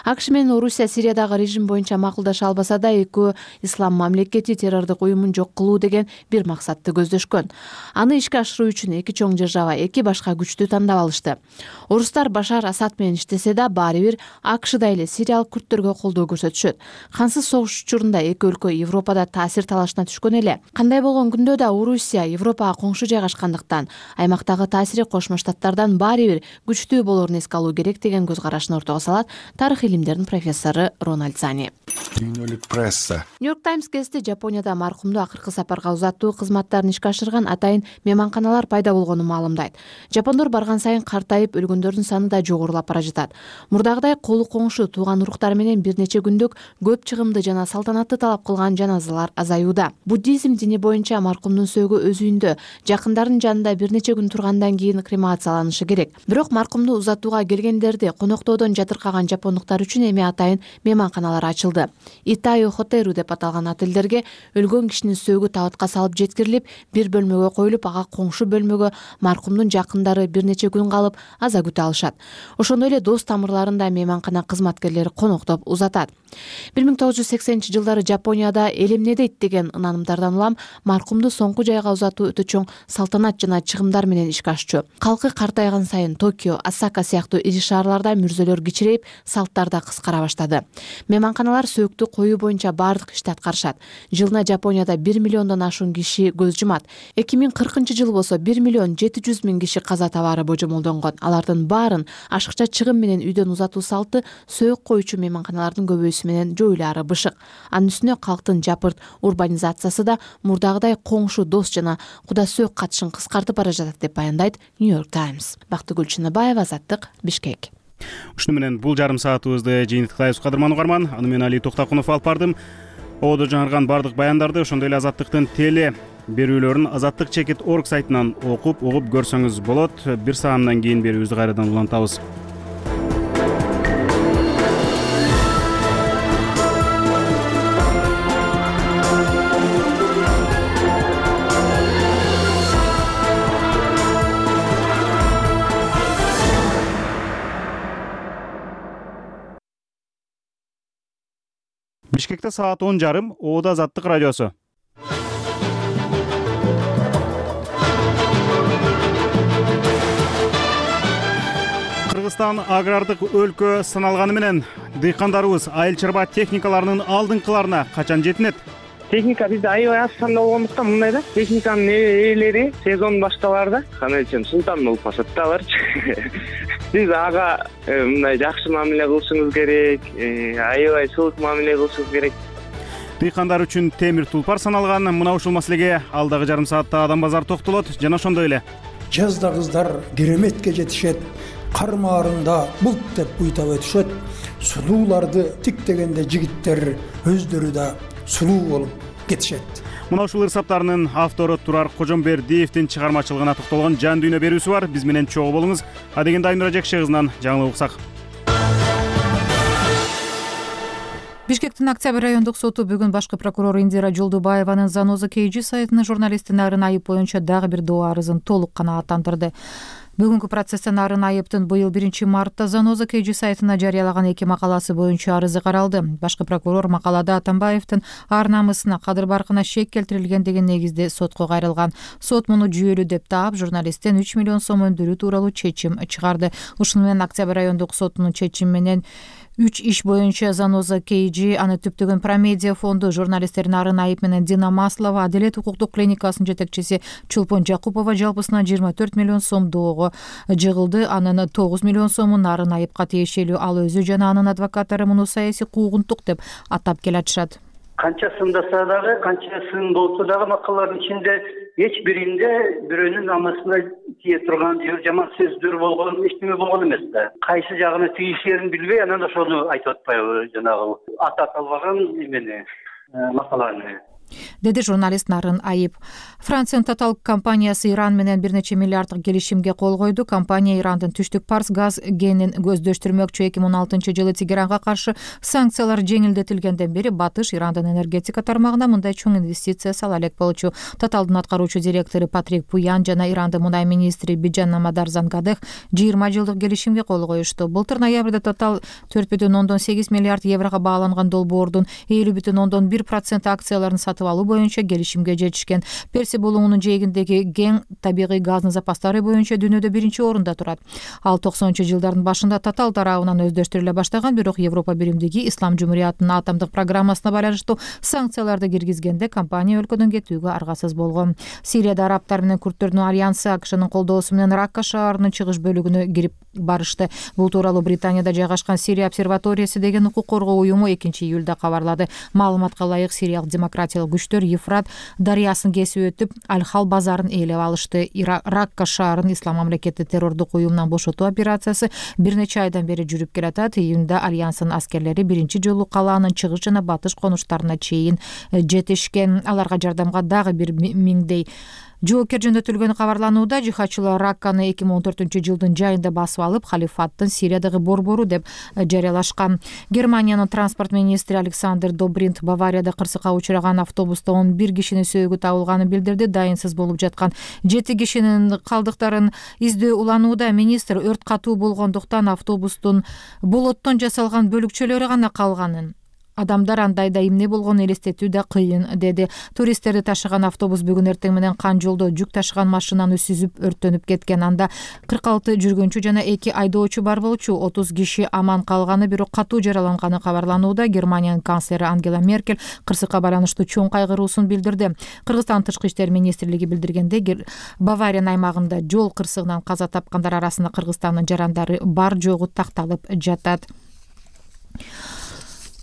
АКШ менен Орусия Сириядагы режим боюнча макулдаша албаса да, экөө ислам мамлекети террордук уюмун жок кылуу деген бир максатты көздөшкөн. Аны ишке ашыруу үчүн эки чоң держава эки башка күчтү тандап алышты. Орустар Башар Асад менен иштесе да, баары бир АКШда эле сириялык күрттөргө колдоо көрсөтүшөт. Кансыз согуш учурунда эки өлкө Европада таасир талашына түшкөн эле. Кандай болгон күндө да Орусия Европага коңшу жайгашкандыктан аймактагы таасири Кошмо Штаттардан баары бир күчтүү болорун эске алуу керек деген көз карашын ортого салат тарых илимдеринин профессору Рональд Сани. Дүйнөлүк пресса Нью-Йорк Таймс гезити Жапонияда маркумду акыркы сапарга узатуу кызматтарын ишке ашырган атайын мейманканалар пайда болгонун маалымдайт. Жапондор барган сайын картайып, өлгөндөрдүн саны да жогорулап бара жатат. Мурдагыдай колу коңшу тууган уруктар менен бир нече күндүк көп чыгымды жана салтанатты талап кылган жаназалар азаюуда. Буддизм дини боюнча маркумдун сөөгү өз үйүндө, жакындарынын жанында бир нече күн тургандан кийин кремацияланышы керек. Бирок маркумду узатууга келгендерди коноктоодон жатыркаган жапондуктар үчүн эми атайын мейманканалар ачылды. Итайо Хотеру деп аталган отелдерге өлгөн кишинин сөөгү табытка салып жеткирилип, бир бөлмөгө коюлуп, ага коңшу бөлмөгө маркумдун жакындары бир нече күн калып аза күтө алышат. Ошондой эле дос тамырларында мейманкана кызматкерлери коноктоп узатат. 1980-жылдары Жапонияда эл эмне дейт деген ынанымдардан улам маркумду соңку жайга узатуу өтө чоң салтанат жана чыгымдар менен ишке ашчу. Калкы картайган сайын Токио, Осака сыяктуу ири шаарларда мүрзөлөр кичирейип, салттар да кыскара баштады. Мейманканалар сөөктү коюу боюнча баардык ишти аткарышат. Жылына Жапонияда 1 миллиондон ашуун киши көз жумат. 2040-жылы болсо 1 миллион 700 миң киши каза табаары божомолдонгон. Алардын баарын ашыкча чыгым менен үйдөн узатуу салты сөөк коюучу мейманканалардын көбөйүүсү менен жоюлаары бышык. Анын үстүнө калктын жапырт урбанизациясы да мурдагыдай коңшу, дос жана куда сөөк катышын кыскартып бара жатат деп баяндайт New York Times. Бактыгүл Чыныбаева, Азаттык, Бишкек. Ушуну менен бул жарым саатыбызды жыйынтыктайбыз, кадырман угарман. Аны мен Али Токтакунов алып бардым. Ободо жаңырган бардык баяндарды, ошондой эле Азаттыктын теле берүүлөрүн azattik.org сайтынан окуп, угуп көрсөңүз болот. Бир саамдан кийин берүүбүздү кайрадан улантабыз. Бишкекте саат 10:30, Ободо Азаттык радиосу. Кыргызстан агрардык өлкө саналганы менен дыйкандарыбыз айыл чарба техникаларынын алдыңкыларына качан жетинет? Техника бизде аябай аз санда болгондуктан мындай да, техниканын ээлери сезон башталаарда канечен султан болуп калышат да аларчы. Сиз ага мындай жакшы мамиле кылышыңыз керек, аябай сылык мамиле кылышыңыз керек. Дыйкандар үчүн темир тулпар саналган мына ушул маселеге алдагы жарым саатта Адам базар токтолот жана ошондой эле. Жазда кыздар кереметке жетишет, кармаарында булт деп буйтап өтүшөт. Сулууларды тиктегенде жигиттер өздөрү да сулуу болуп кетишет. Мына ушул ырсаптарынын автору Турар Кожомбердиевдин чыгармачылыгына токтолгон жан дүйнө берүүсү бар. Биз менен чогуу болуңуз. Адегенде Айнура Жекше кызынан жаңылык уксак. Бишкектин Октябрь райондук соту бүгүн башкы прокурор Индира Жолдубаеванын Заноза KG сайтына журналисттин арын айып боюнча дагы бир доо арызын толук канааттандырды. Бүгүнкү процесстен арын айыптын быйыл 1 мартта Заноза KG сайтына жарыялаган 2 макаласы боюнча арызы каралды. Башкы прокурор макалада Атамбаевдин ар намысына, кадыр баркына шек келтирилген деген негизде сотко кайрылган. Сот муну жүйөлүү деп таап, журналисттен 3 миллион сом өндүрүү тууралуу чечим чыгарды. Ушуну менен Октябрь райондук сотунун чечими менен 3 иш боюнча Заноза KG, аны түптөгөн Промедиа фонду, журналисттердин арын айып менен Дина Маслова, Аделет укуктук клиникасынын жетекчиси Чулпон Жакупова жалпысынан 24 миллион сом доого жыгылды. Анын 9 миллион сомун арын айыпка тиешелүү, ал өзү жана анын адвокаттары муну саясий куугунтук деп атап келатышат. Канча сындаса дагы, канча сын болсо дагы макалалардын ичинде эч биринде бирөөнүн намысына тие турган же жаман сөздөр болгон, эчтеме болгон эмес да. Кайсы жагына тийишерин билбей, анан ошону айтып атпайбы, жанагы атап албаган эмени, макаланы. Деди журналист Нарын Айып. Франциянын Total компаниясы Иран менен бир нече миллиарддык келишимге кол койду. Компания Ирандын түштүк Парс газ кенин көздөштүрмөкчү. 2016-жылы Тегеранга каршы санкциялар жеңилдетилгенден бери Батыш Ирандын энергетика тармагына мындай чоң инвестиция сала элек болчу. Totalдын аткаруучу директору Патрик Пуян жана Ирандын мунай министри Биджан Намадарзангадех 20 жылдык келишимге кол коюшту. Былтыр ноябрда Total 4,8 миллиард еврого бааланган долбоордун 50,1% акцияларын сатып алуу боюнча келишимге жетишкен. Перси булуңунун жээгиндеги кең табигый газдын запастары боюнча дүйнөдө 1-орунда турат. Ал 90-жылдардын башында Total тарабынан өздөштүрүлө баштаган, бирок Европа биримдиги Ислам жумуриятынын атомдук программасына байланыштуу санкцияларды киргизгенде компания өлкөдөн кетүүгө аргасыз болгон. Сирияда арабтар менен курдтөрдүн альянсы АКШнын колдоосу менен Ракка шаарынын чыгыш бөлүгүнө кирип барышты. Бул тууралуу Британияда жайгашкан Сирия обсерваториясы деген укук коргоо уюму 2-июлда кабарлады. Маалыматка ылайык, сириялык демократиялык күчтөр Ефрат дарыясын кесип өтүп, Аль-Хал базарын ээлеп алышты. Ракка шаарын Ислам мамлекети террордук уюмунан бошотуу операциясы бир нече айдан бери жүрүп келатат. Июнда альянстын аскерлери биринчи жолу калаанын чыгыш жана батыш конуштарына чейин жетишкен. Аларга жардамга дагы 1 миңдей жоокер жөнөтүлгөнү кабарланууда. Жихадчылар Ракканы 2014-жылдын жайында басып алып, халифаттын Сириядагы борбору деп жарыялашкан. Германиянын транспорт министри Александр Добринт Баварияда кырсыкка учураган автобуста 11 кишинин сөөгү табылганын билдирди. Дайынсыз болуп жаткан 7 кишинин калдыктарын издөө уланууда. Министр өрт катуу болгондуктан автобустун болоттон жасалган бөлүкчөлөрү гана калганын адамдар андайда эмне болгонун элестетүү да кыйын, деди. Туристтерди ташыган автобус бүгүн эртең менен Кан жолдо жүк ташыган машинаны сүзүп өрттөнүп кеткен. Анда 46 жүргүнчү жана 2 айдоочу бар болчу. 30 киши аман калганы, бирок катуу жараланганы кабарланууда. Германиянын канцлери Ангела Меркель кырсыкка байланыштуу чоң кайгыруусун билдирди. Кыргызстан тышкы иштер министрлиги билдиргенде, Бавариянын аймагында жол кырсыгынан каза тапкандар арасында Кыргызстандын жарандары бар жогу такталып жатат.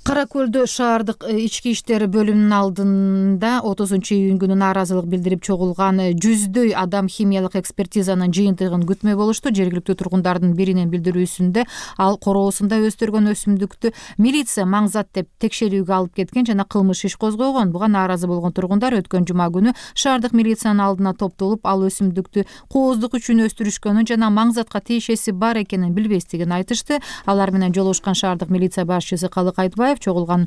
Кара Көлдө шаардык ички иштер бөлүмүнүн алдында 30-июнь күнү нааразылык билдирип чогулган жүздөй адам химиялык экспертизанын жыйынтыгын күтмөй болушту. Жергиликтүү тургундардын биринин билдирүүсүндө ал короосунда өстүргөн өсүмдүктү милиция маңзат деп текшерүүгө алып кеткен жана кылмыш иш козгогон. Буга нааразы болгон тургундар өткөн жума күнү шаардык милициянын алдына топтолуп, ал өсүмдүктү кооздук үчүн өстүрүшкөнүн жана маңзатка тиешеси бар экенин билбестигин айтышты. Алар менен жолугушкан шаардык милиция башчысы Калык Айтбаев чогулган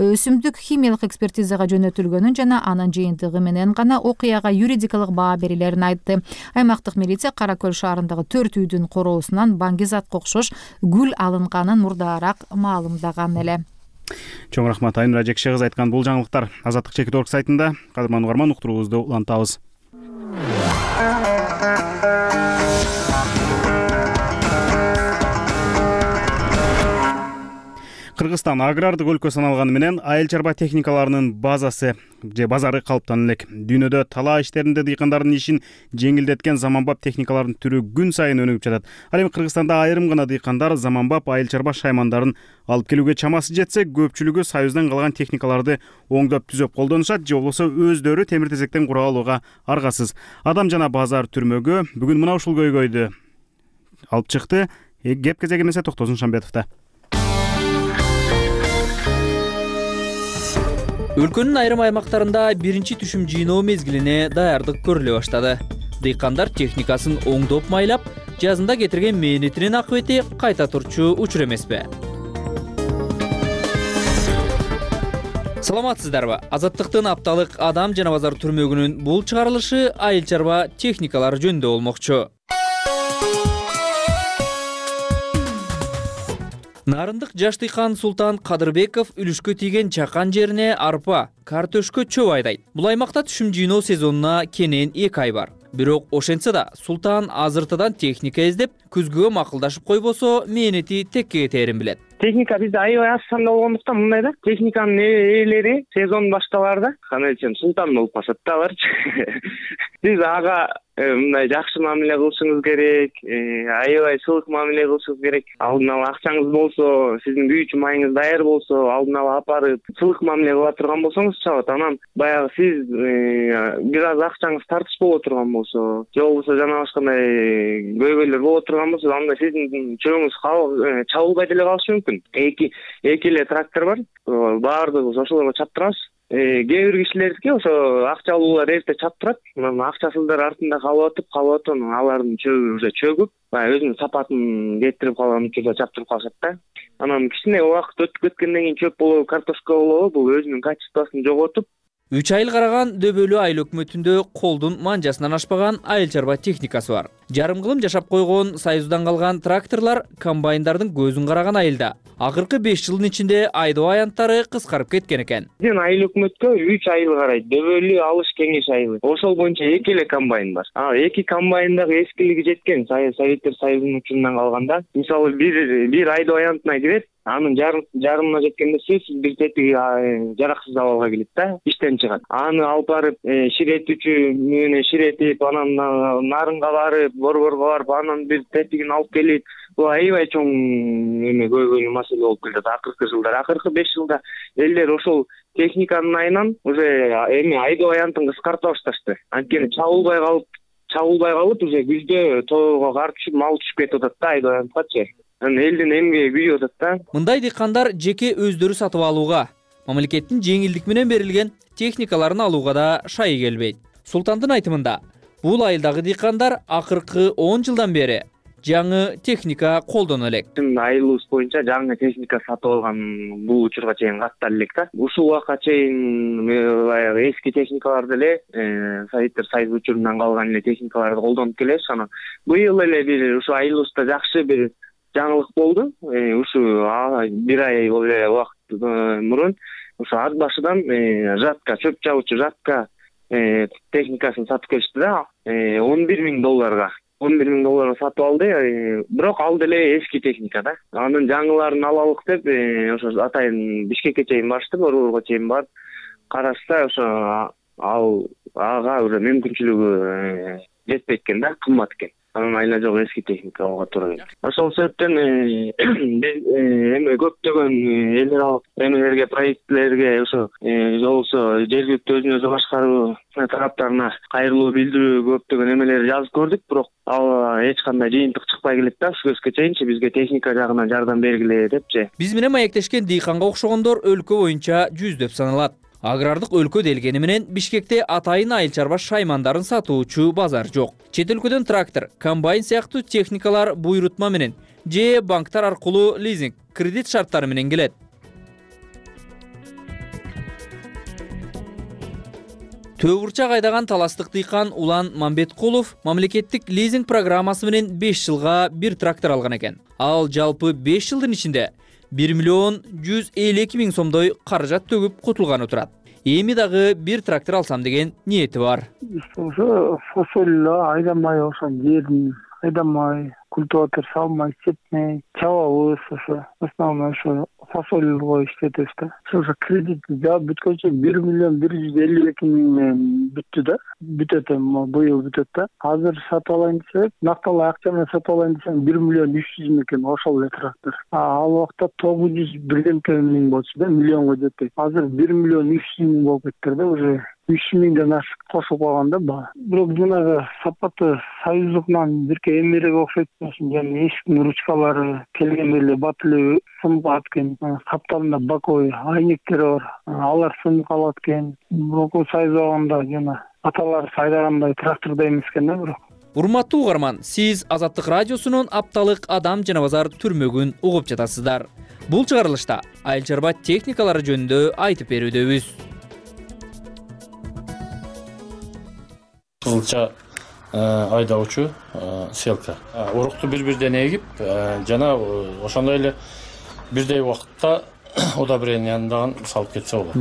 өсүмдүк химиялык экспертизага жөнөтүлгөнүн жана анын жыйынтыгы менен гана окуяга юридикалык баа берилерин айтты. Аймактык милиция Кара Көл шаарындагы 4 үйдүн короосунан баңгизатка окшош гүл алынганын мурдаараак маалымдаган эле. Чоң рахмат Айнура Жекше кызы айткан бул жаңылыктар Азаттык.org сайтында. Кадырман угарман, уктуруубузду улантабыз. Кыргызстан агрардык өлкө саналганы менен айыл чарба техникаларынын базасы же базары калыптанып элек. Дүйнөдө талаа иштеринде дыйкандардын ишин жеңилдеткен заманбап техникалардын түрү күн сайын өнүгүп жатат. Ал эми Кыргызстанда айрым гана дыйкандар заманбап айыл чарба шаймандарын алып келүүгө чамасы жетсе, көпчүлүгү Союздан калган техникаларды оңдоп түзөп колдонушат же болбосо өздөрү темир тезектен кура алууга аргасыз. Адам жана базар түрмөгү бүгүн мына ушул көйгөйдү алып чыкты. Кеп кезеги эмесе Токтосун Шамбетовдо. Өлкөнүн айрым аймактарында биринчи түшүм жыйноо мезгилине даярдык көрүлө баштады. Дыйкандар техникасын оңдоп майлап, жазында кетирген мээнетинин акыбети кайта турчу учур эмеспи? Саламатсыздарбы? Азаттыктын апталык адам жана базар түрмөгүнүн бул чыгарылышы айыл чарба техникалары жөнүндө болмокчу. Нарындык жаш дыйкан Султан Кадырбеков үлүшкө тийген чакан жерине арпа, картөшкө чөп айдайт. Бул аймакта түшүм жыйноо сезонуна кенен 2 ай бар. Бирок ошентсе да Султан азыртадан техника издеп, күзгүгө макулдашып койбосо, мээнети текке кетерин билет. Техника бизде аябай аз санда болгондуктан мындай да, техниканын ээлери сезон башталарда канечен Султан болуп калышат да аларчы. Сиз ага мындай жакшы мамиле кылышыңыз керек, аябай сылык мамиле кылышыңыз керек. Алдын ала акчаңыз болсо, сиздин күйүүчү майыңыз даяр болсо, алдын ала апарып сылык мамиле кыла турган болсоңуз чабат. Анан баягы сиз бир аз акчаңыз тартыш боло турган болсо, же болбосо жана башкандай көйгөйлөр боло турган болсо, анда сиздин чөбүңүз чабылбай деле калышы мүмкүн. Эки эле трактор бар, баардыгыбыз ошолорго чаптырабыз. Кээ бир кишилердики ошо акчалуулар эрте чаптырат, анан акчасыздар артында калып атып, алардын чөбү уже чөгүп, баягы өзүнүн сапатын кетирип калган учурда чаптырып калышат да. Анан кичине убакыт өтүп кеткенден кийин чөп болобу, картошка болобу, бул өзүнүн качествосын жоготуп, 3 айыл караган дөбөлүү айыл өкмөтүндө колдун манжасынан ашпаган айыл чарба техникасы бар. Жарым кылым жашап койгон Союздан калган тракторлор комбайндардын көзүн караган айылда. Акыркы 5 жылдын ичинде айдоо аянттары кыскарып кеткен экен. Биздин айыл өкмөткө 3 айыл карайт. Дөбөлүү алыш кеңеш айылы. Ошол боюнча 2 эле комбайн бар. 2 комбайндагы эскилиги жеткен, Советтер Союзунун учурунан калганда. Мисалы бир айдоо аянтына кирет, анын жарымына жеткенде сөзсүз бир тетиги жараксыз абалга келет да, иштен чыгат. Аны алып барып ширетүүчү менен ширетип, анан нарынга барып, борборго барып, анан бир тетигин алып келип, бул аябай чоң көйгөйлүү маселе болуп келет акыркы жылдар. Акыркы 5 жылда элдер ошол техниканын айынан уже айдоо аянтын кыскарта башташты. Анткени чабылбай калып уже күздө тоого кар түшүп, мал түшүп кетип атат да айдоо аянткачы. Элдин эмгеги күйүп атат да. Мындай дыйкандар жеке өздөрү сатып алууга, мамлекеттин жеңилдик менен берилген техникаларын алууга да шайы келбейт. Султандын айтымында, бул айылдагы дыйкандар акыркы 10 жылдан бери жаңы техника колдоно элек. Айылыбыз боюнча жаңы техника сатып алган бул учурга чейин каттар элек да. Ушул убакка чейин эски техникаларды эле Советтер Союзу учурунан калган эле техникаларды колдонуп келебиз. Анан быйыл эле бир ушу айылыбызда жакшы бир жаңылык болду. Ушу бир ай эле убакыт мурун ошо ат башыдан жатка, чөп чабуучу жатка техникасын сатып келишти да, $11,000. $11,000 сатып алды. Бирок ал деле эски техника да. Анын жаңыларын алалык деп ошо атайын Бишкекке чейин барышты, Борборго чейин барып карашса, ошо ага уже мүмкүнчүлүгү жетпейт экен да, кымбат экен. Анын айла жок эски техника алууга туура келет. Ошол себептен биз эми көптөгөн эл аралык эмелерге, проектлерге ошо болсо жергиликтүү өзүн өзү башкаруу тараптарына кайрылуу билдирүү көптөгөн эмелер жазып көрдүк, бирок ал эч кандай жыйынтык чыкпай келет да. Ушул кезге чейинчи бизге техника жагынан жардам бергиле депчи. Биз менен маектешкен дыйканга окшогондор өлкө боюнча жүздөп саналат. Агрардык өлкө делгени менен Бишкекте атайын айыл чарба шаймандарын сатуучу базар жок. Чет өлкөдөн трактор, комбайн сыяктуу техникалар буйрутма менен же банктар аркылуу лизинг, кредит шарттары менен келет. Төө бурчак айдаган таластык дыйкан Улан Мамбеткулов мамлекеттик лизинг программасы менен 5 жылга бир трактор алган экен. Ал жалпы 5 жылдын ичинде 1,152,000 сомдой каражат төгүп кутулганы турат. Эми дагы бир трактор алсам деген ниети бар. Ошо фасоль айдамай, ошо жерин айдамай, культиватор салмай, сепмей, чабабыз ошо. Основной ошо фасольго иштетебиз да. Ошо кредит жаап бүткөнчө 1,152,000 бүттү да. Бүтөт эми быйыл бүтөт да. Азыр сатып алайын десек, накталуу акча менен сатып алайын десем 1,300,000 экен ошол эле трактор. Ал убакта 901,000 болчу да, миллионго жетпейт. Азыр 1,300,000 болуп кеттир да, уже 3,000ден ашык кошуп калган да баа. Бирок жанагы сапаты союздукунан бирке эмерек окшойт. Жана эшиктин ручкалары келгенде эле бат эле сынып калат экен. Каптарында боковой айнектери бар. Алар сынып калат экен. Бирок сайзаганда жана аталар сайдагандай трактордо эмес экен да бирок. Урматтуу угарман, сиз Азаттык радиосунун апталык адам жана базар түрмөгүн угуп жатасыздар. Бул чыгарылышта айыл чарба техникалары жөнүндө айтып берүүдөбүз. Кызылча айдоочу селка. Урукту бир-бирден эгип, жана ошондой эле бирдей убакытта удобренияндан салып кетсе болот.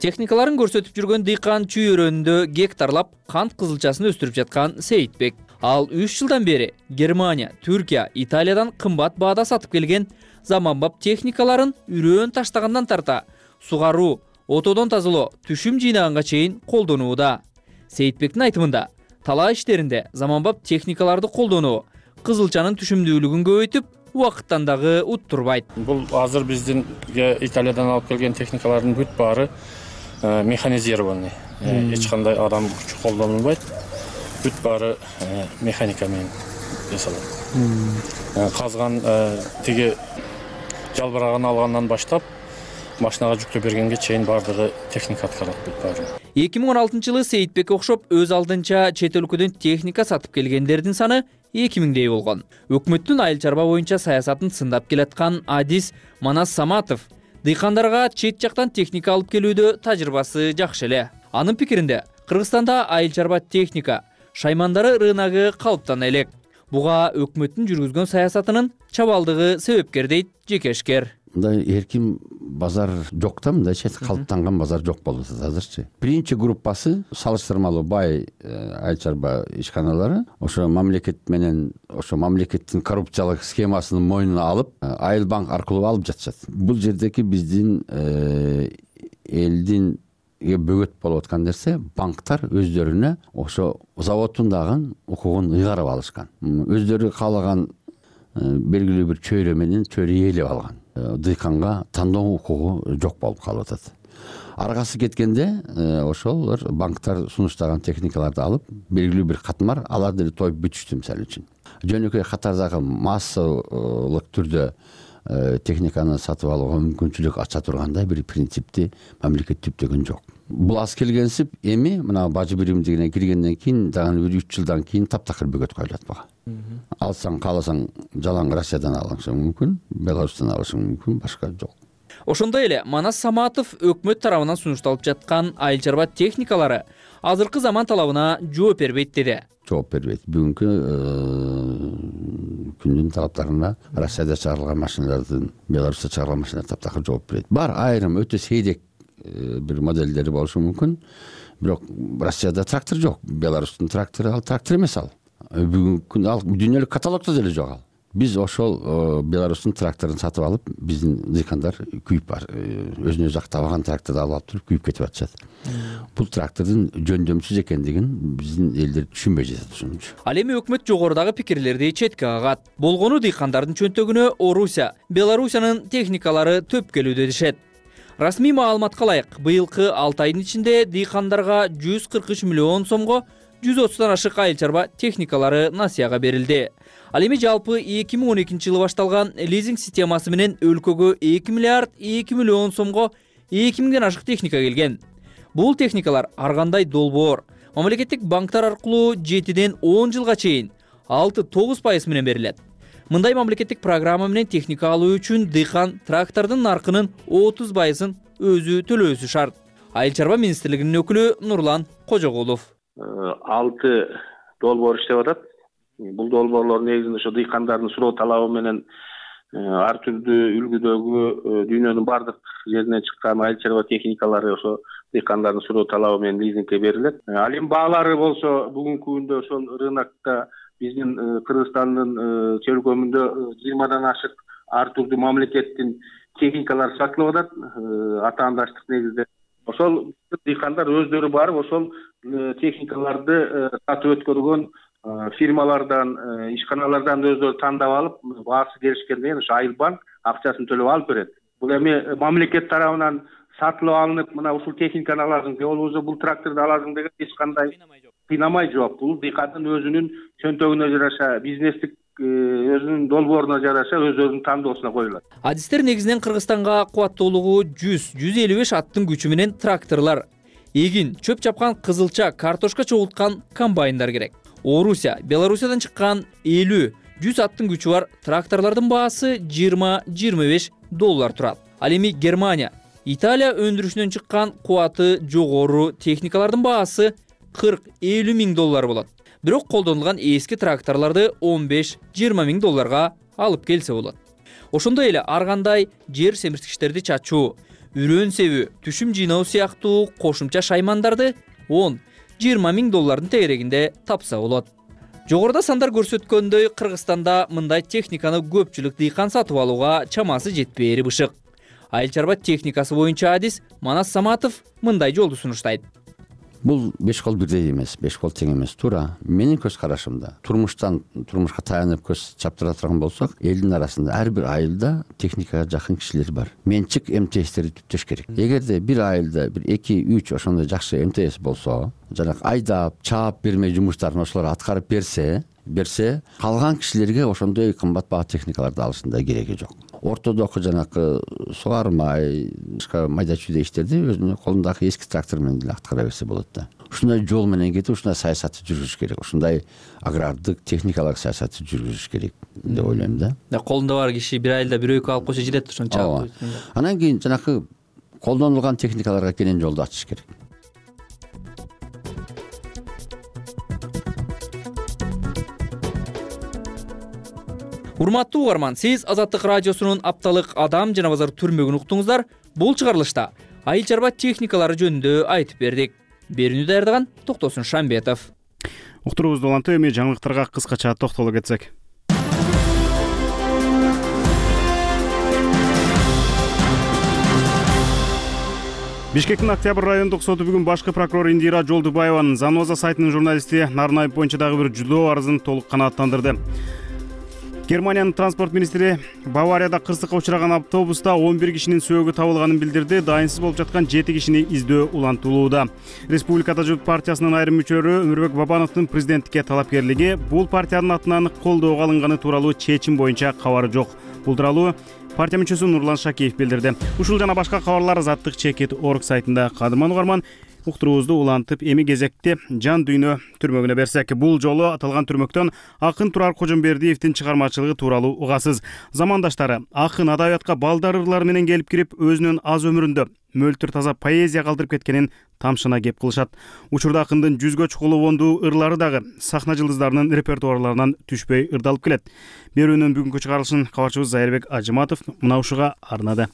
Техникаларын көрсөтүп жүргөн дыйкан чүйөрөндө гектарлап кант кызылчасын өстүрүп жаткан Сейитбек. Ал 3 жылдан бери Германия, Түркия, Италиядан кымбат баада сатып келген заманбап техникаларын үрөөн таштагандан тарта сугаруу, отодон тазалоо, түшүм жыйнаганга чейин колдонууда. Сейитбектин айтымында, талаа иштеринде заманбап техникаларды колдонуу кызылчанын түшүмдүүлүгүн көбөйтүп, убакыттан дагы уттурбайт. Бул азыр биздин Италиядан алып келген техникалардын бүт баары механизированный. Эч кандай адам күчү колдонулбайт. Бүт баары механика менен жасалат. Казган тиги жалбырагын алгандан баштап машинага жүктөп бергенге чейин баардыгы техника аткарат бүт баары. 2016-жылы Сейитбекке окшоп өз алдынча чет өлкөдөн техника сатып келгендердин саны 2000дей болгон. Өкмөттүн айыл чарба боюнча саясатын сындап келаткан адис Манас Саматов дыйкандарга чет жактан техника алып келүүдө тажрыйбасы жакшы эле. Анын пикиринде, Кыргызстанда айыл чарба техника шаймандары рыногу калыптана элек. Буга өкмөттүн жүргүзгөн саясатынын чабалдыгы себепкер дейт жекешкер. Мындай эркин базар жок да, мындайча калыптанган базар жок болуп атат азырчы. Биринчи группасы салыштырмалуу бай айыл чарба ишканалары ошо мамлекет менен ошо мамлекеттин коррупциялык схемасын мойнуна алып, айыл банк аркылуу алып жатышат. Бул жердеги биздин элдин бөгөт болуп аткан нерсе, банктар өздөрүнө ошо заводдун дагы укугун ыйгарып алышкан. Өздөрү каалаган белгилүү бир чөйрө менен чөйрө ээлеп алган. Дыйканга тандоо укугу жок болуп калып атат. Аргасы кеткенде ошолор банктар сунуштаган техникаларды алып, белгилүү бир катмар алар деле тоюп бүтүштү мисалы үчүн. Жөнөкөй катардагы массалык түрдө техниканы сатып алууга мүмкүнчүлүк ача тургандай бир принципти мамлекет түптөгөн жок. Бул аз келгенсип эми мына бажы биримдигине киргенден кийин дагы бир 3 жылдан кийин таптакыр бөгөт коюлат буга. Алсаң кааласаң жалаң Россиядан алышың мүмкүн, Беларустан алышың мүмкүн, башка жок. Ошондой эле Манас Саматов өкмөт тарабынан сунушталып жаткан айыл чарба техникалары азыркы заман талабына жооп бербейт деди. Жооп бербейт. Бүгүнкү күндүн талаптарына Россияда чыгарылган машиналардын, Беларусьта чыгарылган машиналар таптакыр жооп берет. Бар айрым өтө сейдек бир моделдери болушу мүмкүн. Бирок Россияда трактор жок. Беларустун трактору ал трактор эмес ал. Бүгүнкү ал дүйнөлүк каталогдо деле жок ал. Биз ошол Беларустун тракторун сатып алып, биздин дыйкандар күйүп бар. Өзүнө өзү актабаган тракторду алып туруп күйүп кетип атышат. Бул трактордун жөндөмсүз экендигин биздин элдер түшүнбөй жатат ошончу. Ал эми өкмөт жогорудагы пикирлерди четке кагат. Болгону дыйкандардын чөнтөгүнө Орусия, Белоруссиянын техникалары төп келүүдө дешет. Расмий маалыматка ылайык, быйылкы 6 айдын ичинде дыйкандарга 143 миллион сомго 130дан ашык айыл чарба техникалары насыяга берилди. Ал эми жалпы 2012 жылы башталган лизинг системасы менен өлкөгө 2 миллиард 2 миллион сомго 2000ден ашык техника келген. Бул техникалар ар кандай долбоор мамлекеттик банктар аркылуу 7ден 10 жылга чейин 6-9% менен берилет. Мындай мамлекеттик программа менен техника алуу үчүн дыйкан трактордун наркынын 30%ын өзү төлөөсү шарт. Айыл чарба министрлигинин өкүлү Нурлан Кожогулов. 6 долбоор иштеп атат. Бул долбоорлор негизинде ошо дыйкандардын суроо талабы менен ар түрдүү үлгүдөгү дүйнөнүн бардык жеринен чыккан айыл чарба техникалары ошо дыйкандардын суроо талабы менен лизингке берилет. Ал эми баалары болсо бүгүнкү күндө ошол рынокто биздин Кыргызстандын чөлкөмүндө 20дан ашык ар түрдүү мамлекеттин техникалары сатылып атат. Атаандаштык негизде ошол дыйкандар өздөрү барып ошол техникаларды сатып өткөргөн фирмалардан, ишканалардан өздөрү тандап алып, баасы келишкенден ошо Айылбанк акчасын төлөп алып берет. Бул эми мамлекет тарабынан сатылып алынып, мына ушул техниканы аласың, же болбосо бул тракторду аласың деген эч кандай кыйнамай жок. Бул дыйкандын өзүнүн чөнтөгүнө жараша, бизнестик өзүнүн долбооруна жараша өзүнүн тандоосуна коюлат. Адистер негизинен Кыргызстанга кубаттуулугу 100-155 аттын күчү менен тракторлор, эгин, чөп чапкан кызылча, картошка чогулткан комбайндар керек. Орусия, Белоруссиядан чыккан 50-100 аттын күчү бар тракторлордун баасы $20-25 турат. Ал эми Германия, Италия өндүрүшүнөн чыккан кубаты жогору техникалардын баасы $40-50 миң болот. Бирок колдонулган эски тракторлорду $15-20 миң алып келсе болот. Ошондой эле ар кандай жер семирткичтерди чачуу, үрөн себүү, түшүм жыйноо сыяктуу кошумча шаймандарды $10-20 миң тегерегинде тапса болот. Жогоруда сандар көрсөткөндөй, Кыргызстанда мындай техниканы көпчүлүк дыйкан сатып алууга чамасы жетпээри бышык. Айыл чарба техникасы боюнча адис Манас Саматов мындай жолду сунуштайт. Бул 5 кол бирдей эмес, 5 кол тең эмес. Туура менин көз карашымда турмушка таянып көз чаптыра турган болсок, элдин арасында ар бир айылда техникага жакын кишилер бар. Менчик МТСтерди түптөш керек. Эгерде бир айылда бир 2-3 ошондой жакшы МТС болсо, жана айдап, чаап бермей жумуштарын ошолор аткарып берсе, калган кишилерге ошондой кымбат баа техникаларды алыштын да кереги жок. Ортодогу жанакы сугармай, башка майда чүйдө иштерди өзүнүн колундагы эски трактор менен деле аткара берсе болот да. Ушундай жол менен кетип, ушундай саясатты жүргүзүш керек. Ушундай агрардык, техникалык саясатты жүргүзүш керек деп ойлойм да. Колунда бар киши бир айылда бир экөө алып койсо жетет ошонча. Анан кийин жанакы колдонулган техникаларга кенен жолду ачыш керек. Урматтуу угарман, сиз Азаттык радиосунун апталык адам жана базар түрмөгүн уктуңуздар. Бул чыгарылышта айыл чарба техникалары жөнүндө айтып бердик. Берүүнү даярдаган Токтосун Шамбетов. Уктуруубузду улантып, эми жаңылыктарга кыскача токтоло кетсек. Бишкектин Октябрь райондук соту бүгүн башкы прокурор Индира Жолдубаеванын Заноза сайтынын журналисти Нарнаев боюнча дагы бир жудоо арызын толук канааттандырды. Германиянын транспорт министри Баварияда кырсыкка учураган автобуста 11 кишинин сөөгү табылганын билдирди. Дайынсыз болуп жаткан 7 кишини издөө улантылууда. Республикада журт партиясынын айрым мүчөлөрү Өмүрбек Бабановдун президенттикке талапкерлиги, бул партиянын атынан колдоого алынганы тууралуу чечим боюнча кабары жок. Бул тууралуу партия мүчөсү Нурлан Шакиев билдирди. Ушул жана башка кабарлар Азаттык Чекит.org сайтында. Кадырман угарман, уктуруубузду улантып эми кезекте жан дүйнө түрмөгүнө берсек. Бул жолу аталган түрмөктөн акын Турар Кожомбердиевдин чыгармачылыгы тууралуу угасыз. Замандаштары акын адабиятка балдар ырлары менен келип кирип, өзүнүн аз өмүрүндө мөлтүр таза поэзия калтырып кеткенин тамшына кеп кылышат. Учурда акындын 100гө чукул обондуу ырлары дагы сахна жылдыздарынын репертуарларынан түшпөй ырдалып келет. Берүүнүн бүгүнкү чыгарылышын кабарчыбыз Зайырбек Ажыматов мына ушуга арнады.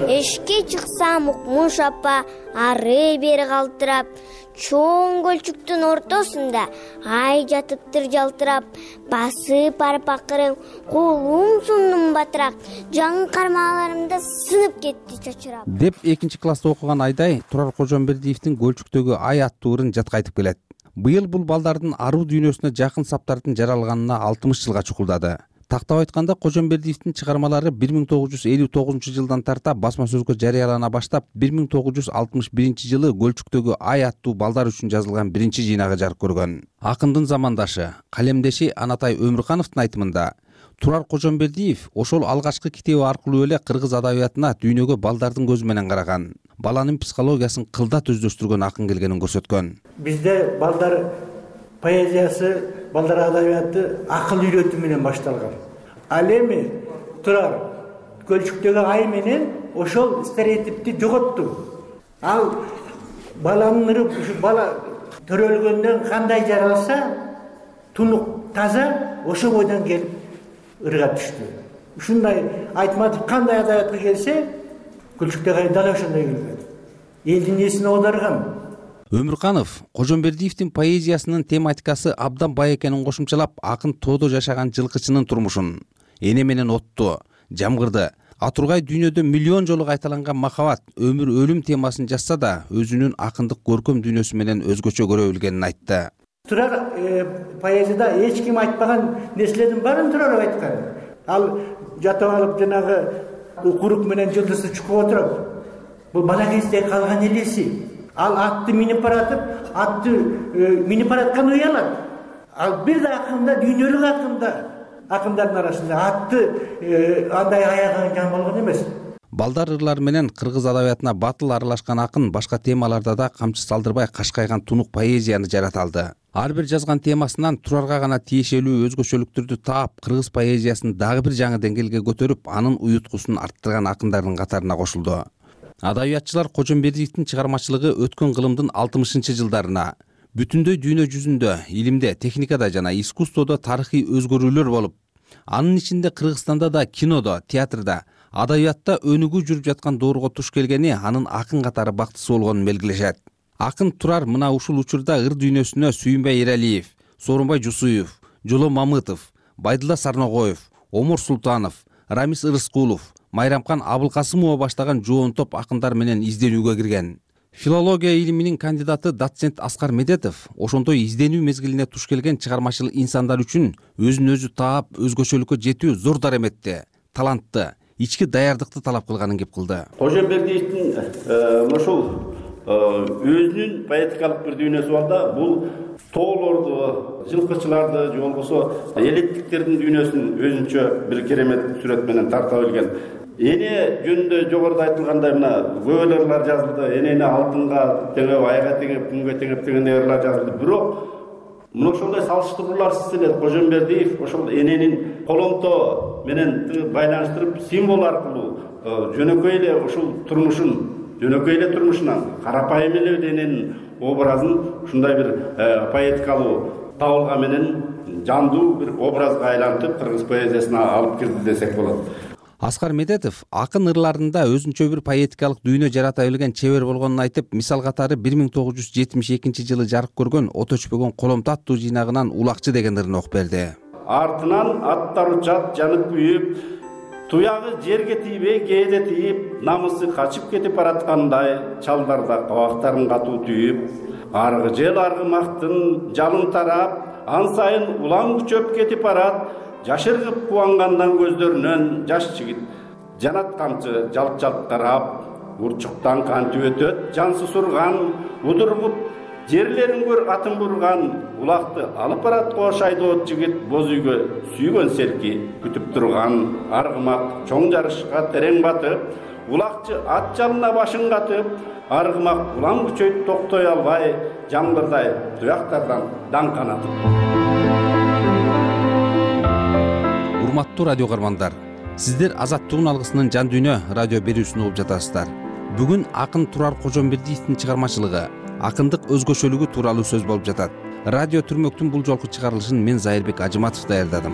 Эшикке чыксам укмуш апа ары бери калтырап, чоң көлчүктүн ортосунда ай жатыптыр жалтырап, басып барып акырын колум сундум батырак, жаңы кармаларымда сынып кетти чочурап деп 2-класста окуган Айдай Турар Кожомбердиевдин Көлчүктөгү ай аттуу ырын жатка айтып келет. Быйыл бул балдардын аруу дүйнөсүнө жакын саптардын жаралганына 60 жылга чукулдады. Тактап айтканда, Кожомбердиевдин чыгармалары 1959 жылдан тарта басма сөзгө жарыялана баштап, 1961 жылы Көлчүктөгү ай аттуу балдар үчүн жазылган биринчи жыйнагы жарык көргөн. Акындын замандашы, калемдеши Анатай Өмүркановдун айтымында, Турар Кожомбердиев ошол алгачкы китеби аркылуу эле кыргыз адабиятына дүйнөгө балдардын көзү менен караган, баланын психологиясын кылдат өздөштүргөн акын келгенин көрсөткөн. Бизде балдар поэзиясы, балдар адабияты акыл үйрөтүү менен башталган. Ал эми Турар Көлчүктөгү ай менен ошол стереотипти жоготту. Ал баланын ыры ушу бала төрөлгөндөн кандай жаралса, тунук таза ошо бойдон келип ырга түштү. Ушундай Айтматов кандай адабиятка келсе, Көлчүктөгү ай дал ошондой келген. Элдин эсине оодарган. Өмүрканов Кожомбердиевдин поэзиясынын тематикасы абдан бай экенин кошумчалап, акын тоодо жашаган жылкычынын турмушун, эне менен отту, жамгырды, атургай дүйнөдө миллион жолу кайталанган махабат, өмүр, өлүм темасын жазса да, өзүнүн акындык көркөм дүйнөсү менен өзгөчө көрө билгенин айтты. Турар поэзияда эч ким айтпаган нерселердин баарын Турар айткан. Ал жатып алып жанагы укурук менен жылдызды чукуп отуруп, бул бала кезде калган элеси. Ал атты минип баратып, атты минип бараткан уялат. Ал бир да акында, дүйнөлүк акындардын арасында атты андай аягы жан болгон эмес. Балдар ырлары менен кыргыз адабиятына батыл аралашкан акын башка темаларда да камчы салдырбай кашкайган тунук поэзияны жарата алды. Ар бир жазган темасынан Турарга гана тиешелүү өзгөчөлүктөрдү таап, кыргыз поэзиясын дагы бир жаңы деңгээлге көтөрүп, анын уюткусун арттырган акындардын катарына кошулду. Адабиятчылар Кожомбердиевдин чыгармачылыгы өткөн кылымдын 60-жылдарына бүтүндөй дүйнө жүзүндө, илимде, техникада жана искусстводо тарыхый өзгөрүүлөр болуп, анын ичинде Кыргызстанда да, кинодо, театрда, адабиятта өнүгүү жүрүп жаткан доорго туш келгени анын акын катары бактысы болгонун белгилешет. Акын Турар мына ушул учурда ыр дүйнөсүнө Сүйүнбай Эралиев, Соорунбай Жусуев, Жоло Мамытов, Байдылла Сарногоев, Омур Султанов, Рамис Ырыскулов, Майрамкан Абылкасымова баштаган жоон топ акындар менен изденүүгө кирген. Филология илиминин кандидаты доцент Аскар Медетов ошондой изденүү мезгилине туш келген чыгармачыл инсандар үчүн өзүн өзү таап, өзгөчөлүккө жетүү зор дараметти, талантты, ички даярдыкты талап кылганын кеп кылды. Кожомбердиевдин ошол өзүнүн поэтикалык бир дүйнөсү бар да, бул тоолорду, жылкычыларды, же болбосо элеттиктердин дүйнөсүн өзүнчө бир керемет сүрөт менен тарта билген. Эне жөнүндө жогоруда айтылгандай мына көп ырлар жазылды. Энени алтынга теңеп, айга теңеп, күнгө теңеп деген ырлар жазылды. Бирок мына ошондой салыштырууларсыз эле Кожомбердиев ошол эненин коломто менен байланыштырып, символ аркылуу жөнөкөй эле ушул турмушунан карапайым эле эненин образын ушундай бир поэтикалуу табылга менен жандуу бир образга айлантып кыргыз поэзиясына алып кирди десек болот. Аскар Медетов акын ырларында өзүнчө бир поэтикалык дүйнө жарата билген чебер болгонун айтып, мисал катары 1972 жылы жарык көргөн От өчпөгөн коломто аттуу жыйнагынан Улакчы деген ырын окуп берди. Артынан аттар учат, жанып күйүп, туягы жерге тийбей кээде тийип, намысы качып кетип бараткандай, чалдарда кабактарын катуу түйүп, аргы жел аргымактын жалын тарап, ан сайын улам күчөп кетип барат. Жашыргып кубангандан көздөрүнөн жаш жигит жанат камчы жалп-жалп карап, урчуктан кантип өтөт жансыз урган, удургуп жерлерин көр атын бурган, улакты алып барат кош айдоот жигит боз үйгө сүйгөн серки күтүп турган аргымак чоң жарышка терең батып, улакчы ат жалына башын катып, аргымак улам күчөйт токтой албай, жаңбырдай туяктардан даң канатып. Урматтуу радио каармандар, сиздер Азаттыгын алгысынын жан дүйнө радио берүүсүн угуп жатасыздар. Бүгүн акын Турар Кожомбердиевдин чыгармачылыгы, акындык өзгөчөлүгү тууралуу сөз болуп жатат. Радио Түрмөктүн бул жолку чыгарылышын мен Зайырбек Ажыматов даярдадым.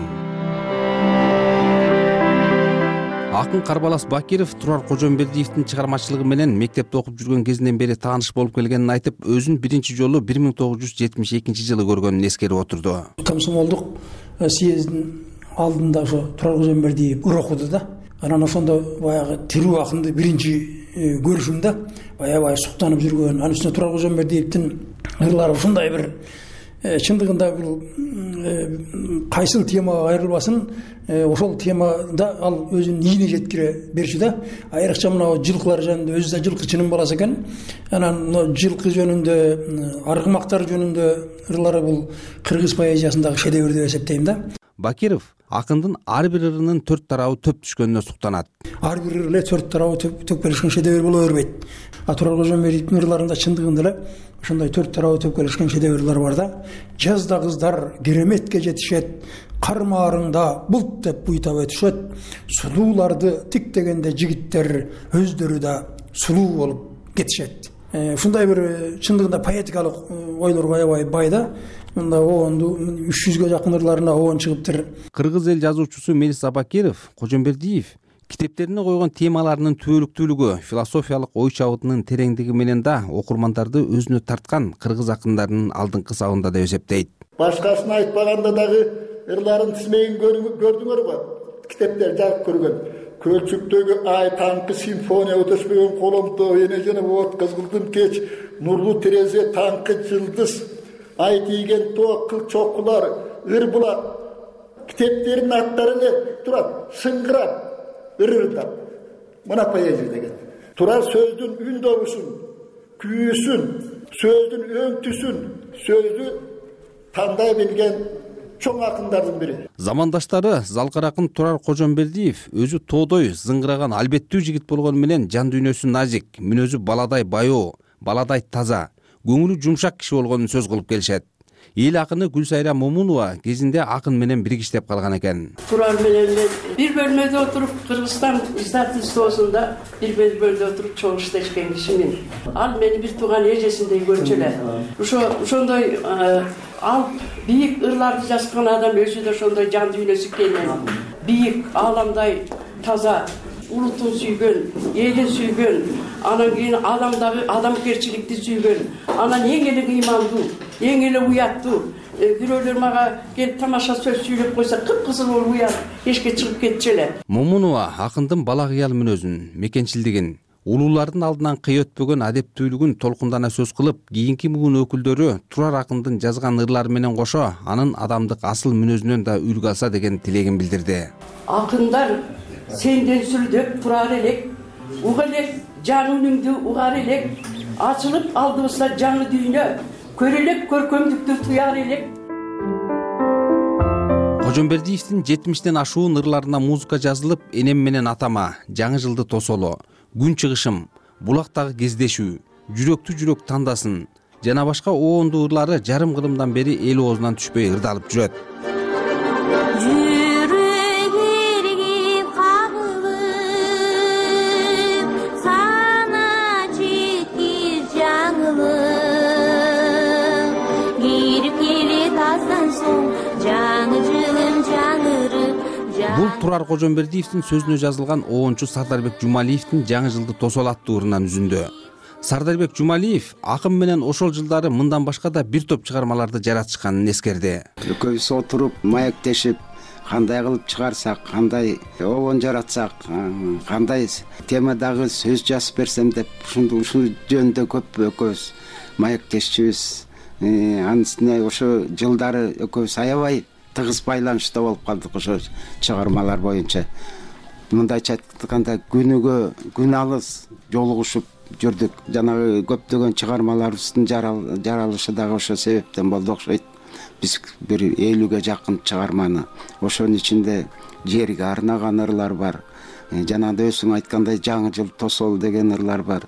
Акын Карбалас Бакиров Турар Кожомбердиевдин чыгармачылыгы менен мектепте окуп жүргөн кезинен бери тааныш болуп келгенин айтып, өзүн биринчи жолу 1972-жылы көргөнүн эскерип отурду. Комсомолдук съездин алдында ошо Турар Кожомбердиев ыр окуду да. Анан ошондо баягы тирүү акынды биринчи көрүшүмдө аябай суктанып жүргөн. Анын үстүнө Турар Кожомбердиевдин ырлары ушундай бир чындыгында бул кайсыл темага кайрылбасын, ошол темада ал өзүн ийине жеткире берчү да. Айрыкча мына жылкылар жөнүндө, өзү да жылкычынын баласы экен. Анан жылкы жөнүндө, аргымактар жөнүндө ырлары бул кыргыз поэзиясындагы шедевр деп эсептейм да. Бакиров акындын ар бир ырынын 4 тарабы төп түшкөнүнө суктанат. Ар бир ыр эле 4 тарабы төп келишкен шедевр боло бербейт. Турар Кожомбердиевдин ырларында чындыгында эле ошондой 4 тарабы төп келишкен шедеврлер бар да. Жазда кыздар кереметке жетишет, кармаарыңда булт деп буйтап өтүшөт, сулууларды тиктегенде жигиттер өздөрү да сулуу болуп кетишет. Ушундай бир чындыгында поэтикалык ойлорго аябай бай да. Мында оонду 300гө жакын ырларына оон чыгыптыр. Кыргыз эл жазуучусу Мелис Абакиров Кожомбердиев китептерине койгон темаларынын түбөлүктүүлүгү, философиялык ой чабытынын тереңдиги менен да окурмандарды өзүнө тарткан кыргыз акындарынын алдыңкы сабында деп эсептейт. Башкасын айтпаганда дагы ырларын тизмегин көрдүңөр го. Китептер жарык көргөн. Көлчүктөгү ай таңкы симфония өтөшпөгөн коломто, эне жана от кызгылдым кеч, нурлуу терезе таңкы жылдыз, ай тийген тоо кыл чокулар, ыр булак. Китептердин аттары эле турат, сыңгырап, ырырдап. Мына поэзия деген. Турар сөздүн үн добушун, күйүүсүн, сөздүн өңтүсүн, сөздү тандай билген чоң акындардын бири. Замандаштары залкар акын Турар Кожомбердиев өзү тоодой зыңгыраган албеттүү жигит болгону менен жан дүйнөсү назик, мүнөзү баладай баяу, баладай таза, көңүлү жумшак киши болгонун сөз кылып келишет. Эл акыны Гүлсайра Момунова кезинде акын менен биригиштеп калган экен. Турар менен бир бөлмөдө отуруп, Кыргызстан издательствосунда бир бөлмөдө отуруп чогуу иштешкен кишимин. Ал мени бир тууган эжесиндей көрчү эле. Ошондой ал бийик ырларды жазган адам өзү да ошондой жан дүйнөсү кенен, бийик, ааламдай таза, улутун сүйгөн, элин сүйгөн, анан кийин адамгерчиликти сүйгөн, анан эң эле ыймандуу, эң эле уяттуу. Бирөөлөр мага келип тамаша сөз сүйлөп койсо, кып-кызыл болуп уят, эшикке чыгып кетчү эле. Момунова акындын бала кыял мүнөзүн, мекенчилдигин, улуулардын алдынан кый өтпөгөн адептүүлүгүн толкундана сөз кылып, кийинки буун өкүлдөрү Турар акындын жазган ырлары менен кошо, анын адамдык асыл мүнөзүнөн да үлгү алса деген тилегин билдирди. Акындар сенден сүрдөп турар элек, уга элек жан үнүңдү угар элек, ачылып алдыбызда жаңы дүйнө, көрөлөк көркөмдүктү туяр элек. Кожомбердиевдин 70тен ашуун ырларына музыка жазылып, энем менен атама, жаңы жылды тосоло, күн чыгышым, булактагы кездешүү, жүрөктү жүрөк тандасын жана башка оондуу ырлары жарым кылымдан бери эл оозунан түшпөй ырдалып жүрөт. Бул Турар Кожомбердиевдин сөзүнө жазылган оончу Сардарбек Жумалиевдин жаңы жылды тосол аттуу ырынан үзүндү. Сардарбек Жумалиев акын менен ошол жылдары мындан башка да бир топ чыгармаларды жаратышканын эскерди. Экөөбүз отуруп, маектешип, кандай кылып чыгарсак, кандай оон жаратсак, кандай темадагы сөз жазып берсем деп ушул жөнүндө көп экөөбүз маектешчүбүз. Анын үстүнө ошо жылдары экөөбүз аябай тыгыз байланышта болуп калдык ошо чыгармалар боюнча. Мындайча айтканда күн алыс жолугушуп жүрдүк. Жанагы көптөгөн чыгармаларыбыздын жаралышы дагы ошо себептен болду окшойт. биз бир 50ге жакын чыгарманы, ошонун ичинде жерге арнаган ырлар бар. Жанагы өзүң айткандай жаңы жыл тосол деген ырлар бар.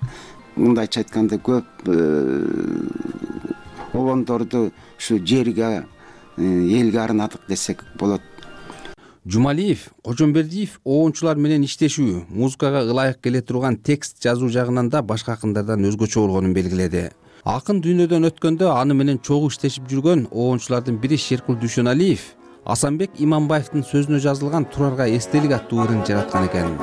Мындайча айтканда көп обондорду ушу жерге, элге арнадык десек болот. Жумалиев, Кожомбердиев оончулар менен иштешүү, музыкага ылайык келе турган текст жазуу жагынан да башка акындардан өзгөчө болгонун белгиледи. Акын дүйнөдөн өткөндө аны менен чогуу иштешип жүргөн оончулардын бири Шеркул Дүйшөналиев Асанбек Иманбаевдин сөзүнө жазылган Турарга эстелик аттуу ырын жараткан экен.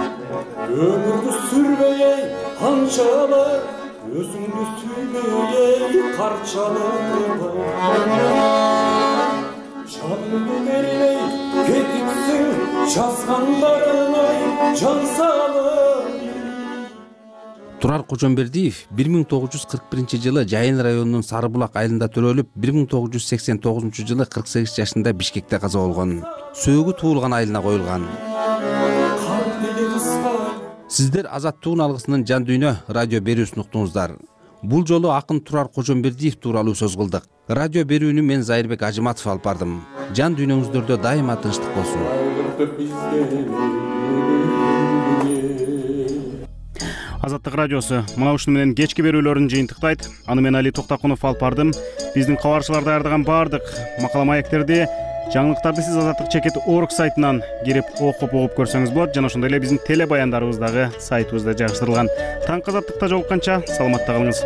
Өмүрдү сүрбөй канчалык, өзүңдү сүйбөй карчалык. Жанымды бербей кетипсиң, жазгандарыңай жан салып. Турар Кожомбердиев 1941-жылы Жайын районунун Сарыбулак айылында төрөлүп, 1989-жылы 48 жашында Бишкекте каза болгон. Сөөгү туулган айылына коюлган. Сиздер Азаттык алгысынын жан дүйнө радио берүүсүн уктуңуздар. Бул жолу акын Турар Кожомбердиев тууралуу сөз кылдык. Радио берүүнү мен Зайырбек Ажыматов алып бардым. Жан дүйнөңүздөрдө дайыма тынчтык болсун. Азаттык радиосу мына ушуну менен кечки берүүлөрүн жыйынтыктайт. Аны мен Али Токтакунов алып бардым. Биздин кабарчылар даярдаган баардык макала маектерди, жаңылыктарды сиз Азаттык.org сайтынан кирип окуп көрсөңүз болот. Жана ошондой эле биздин теле баяндарыбыз дагы сайтыбызда жайгаштырылган. Таңкы Азаттыкта жолукканча саламатта калыңыз.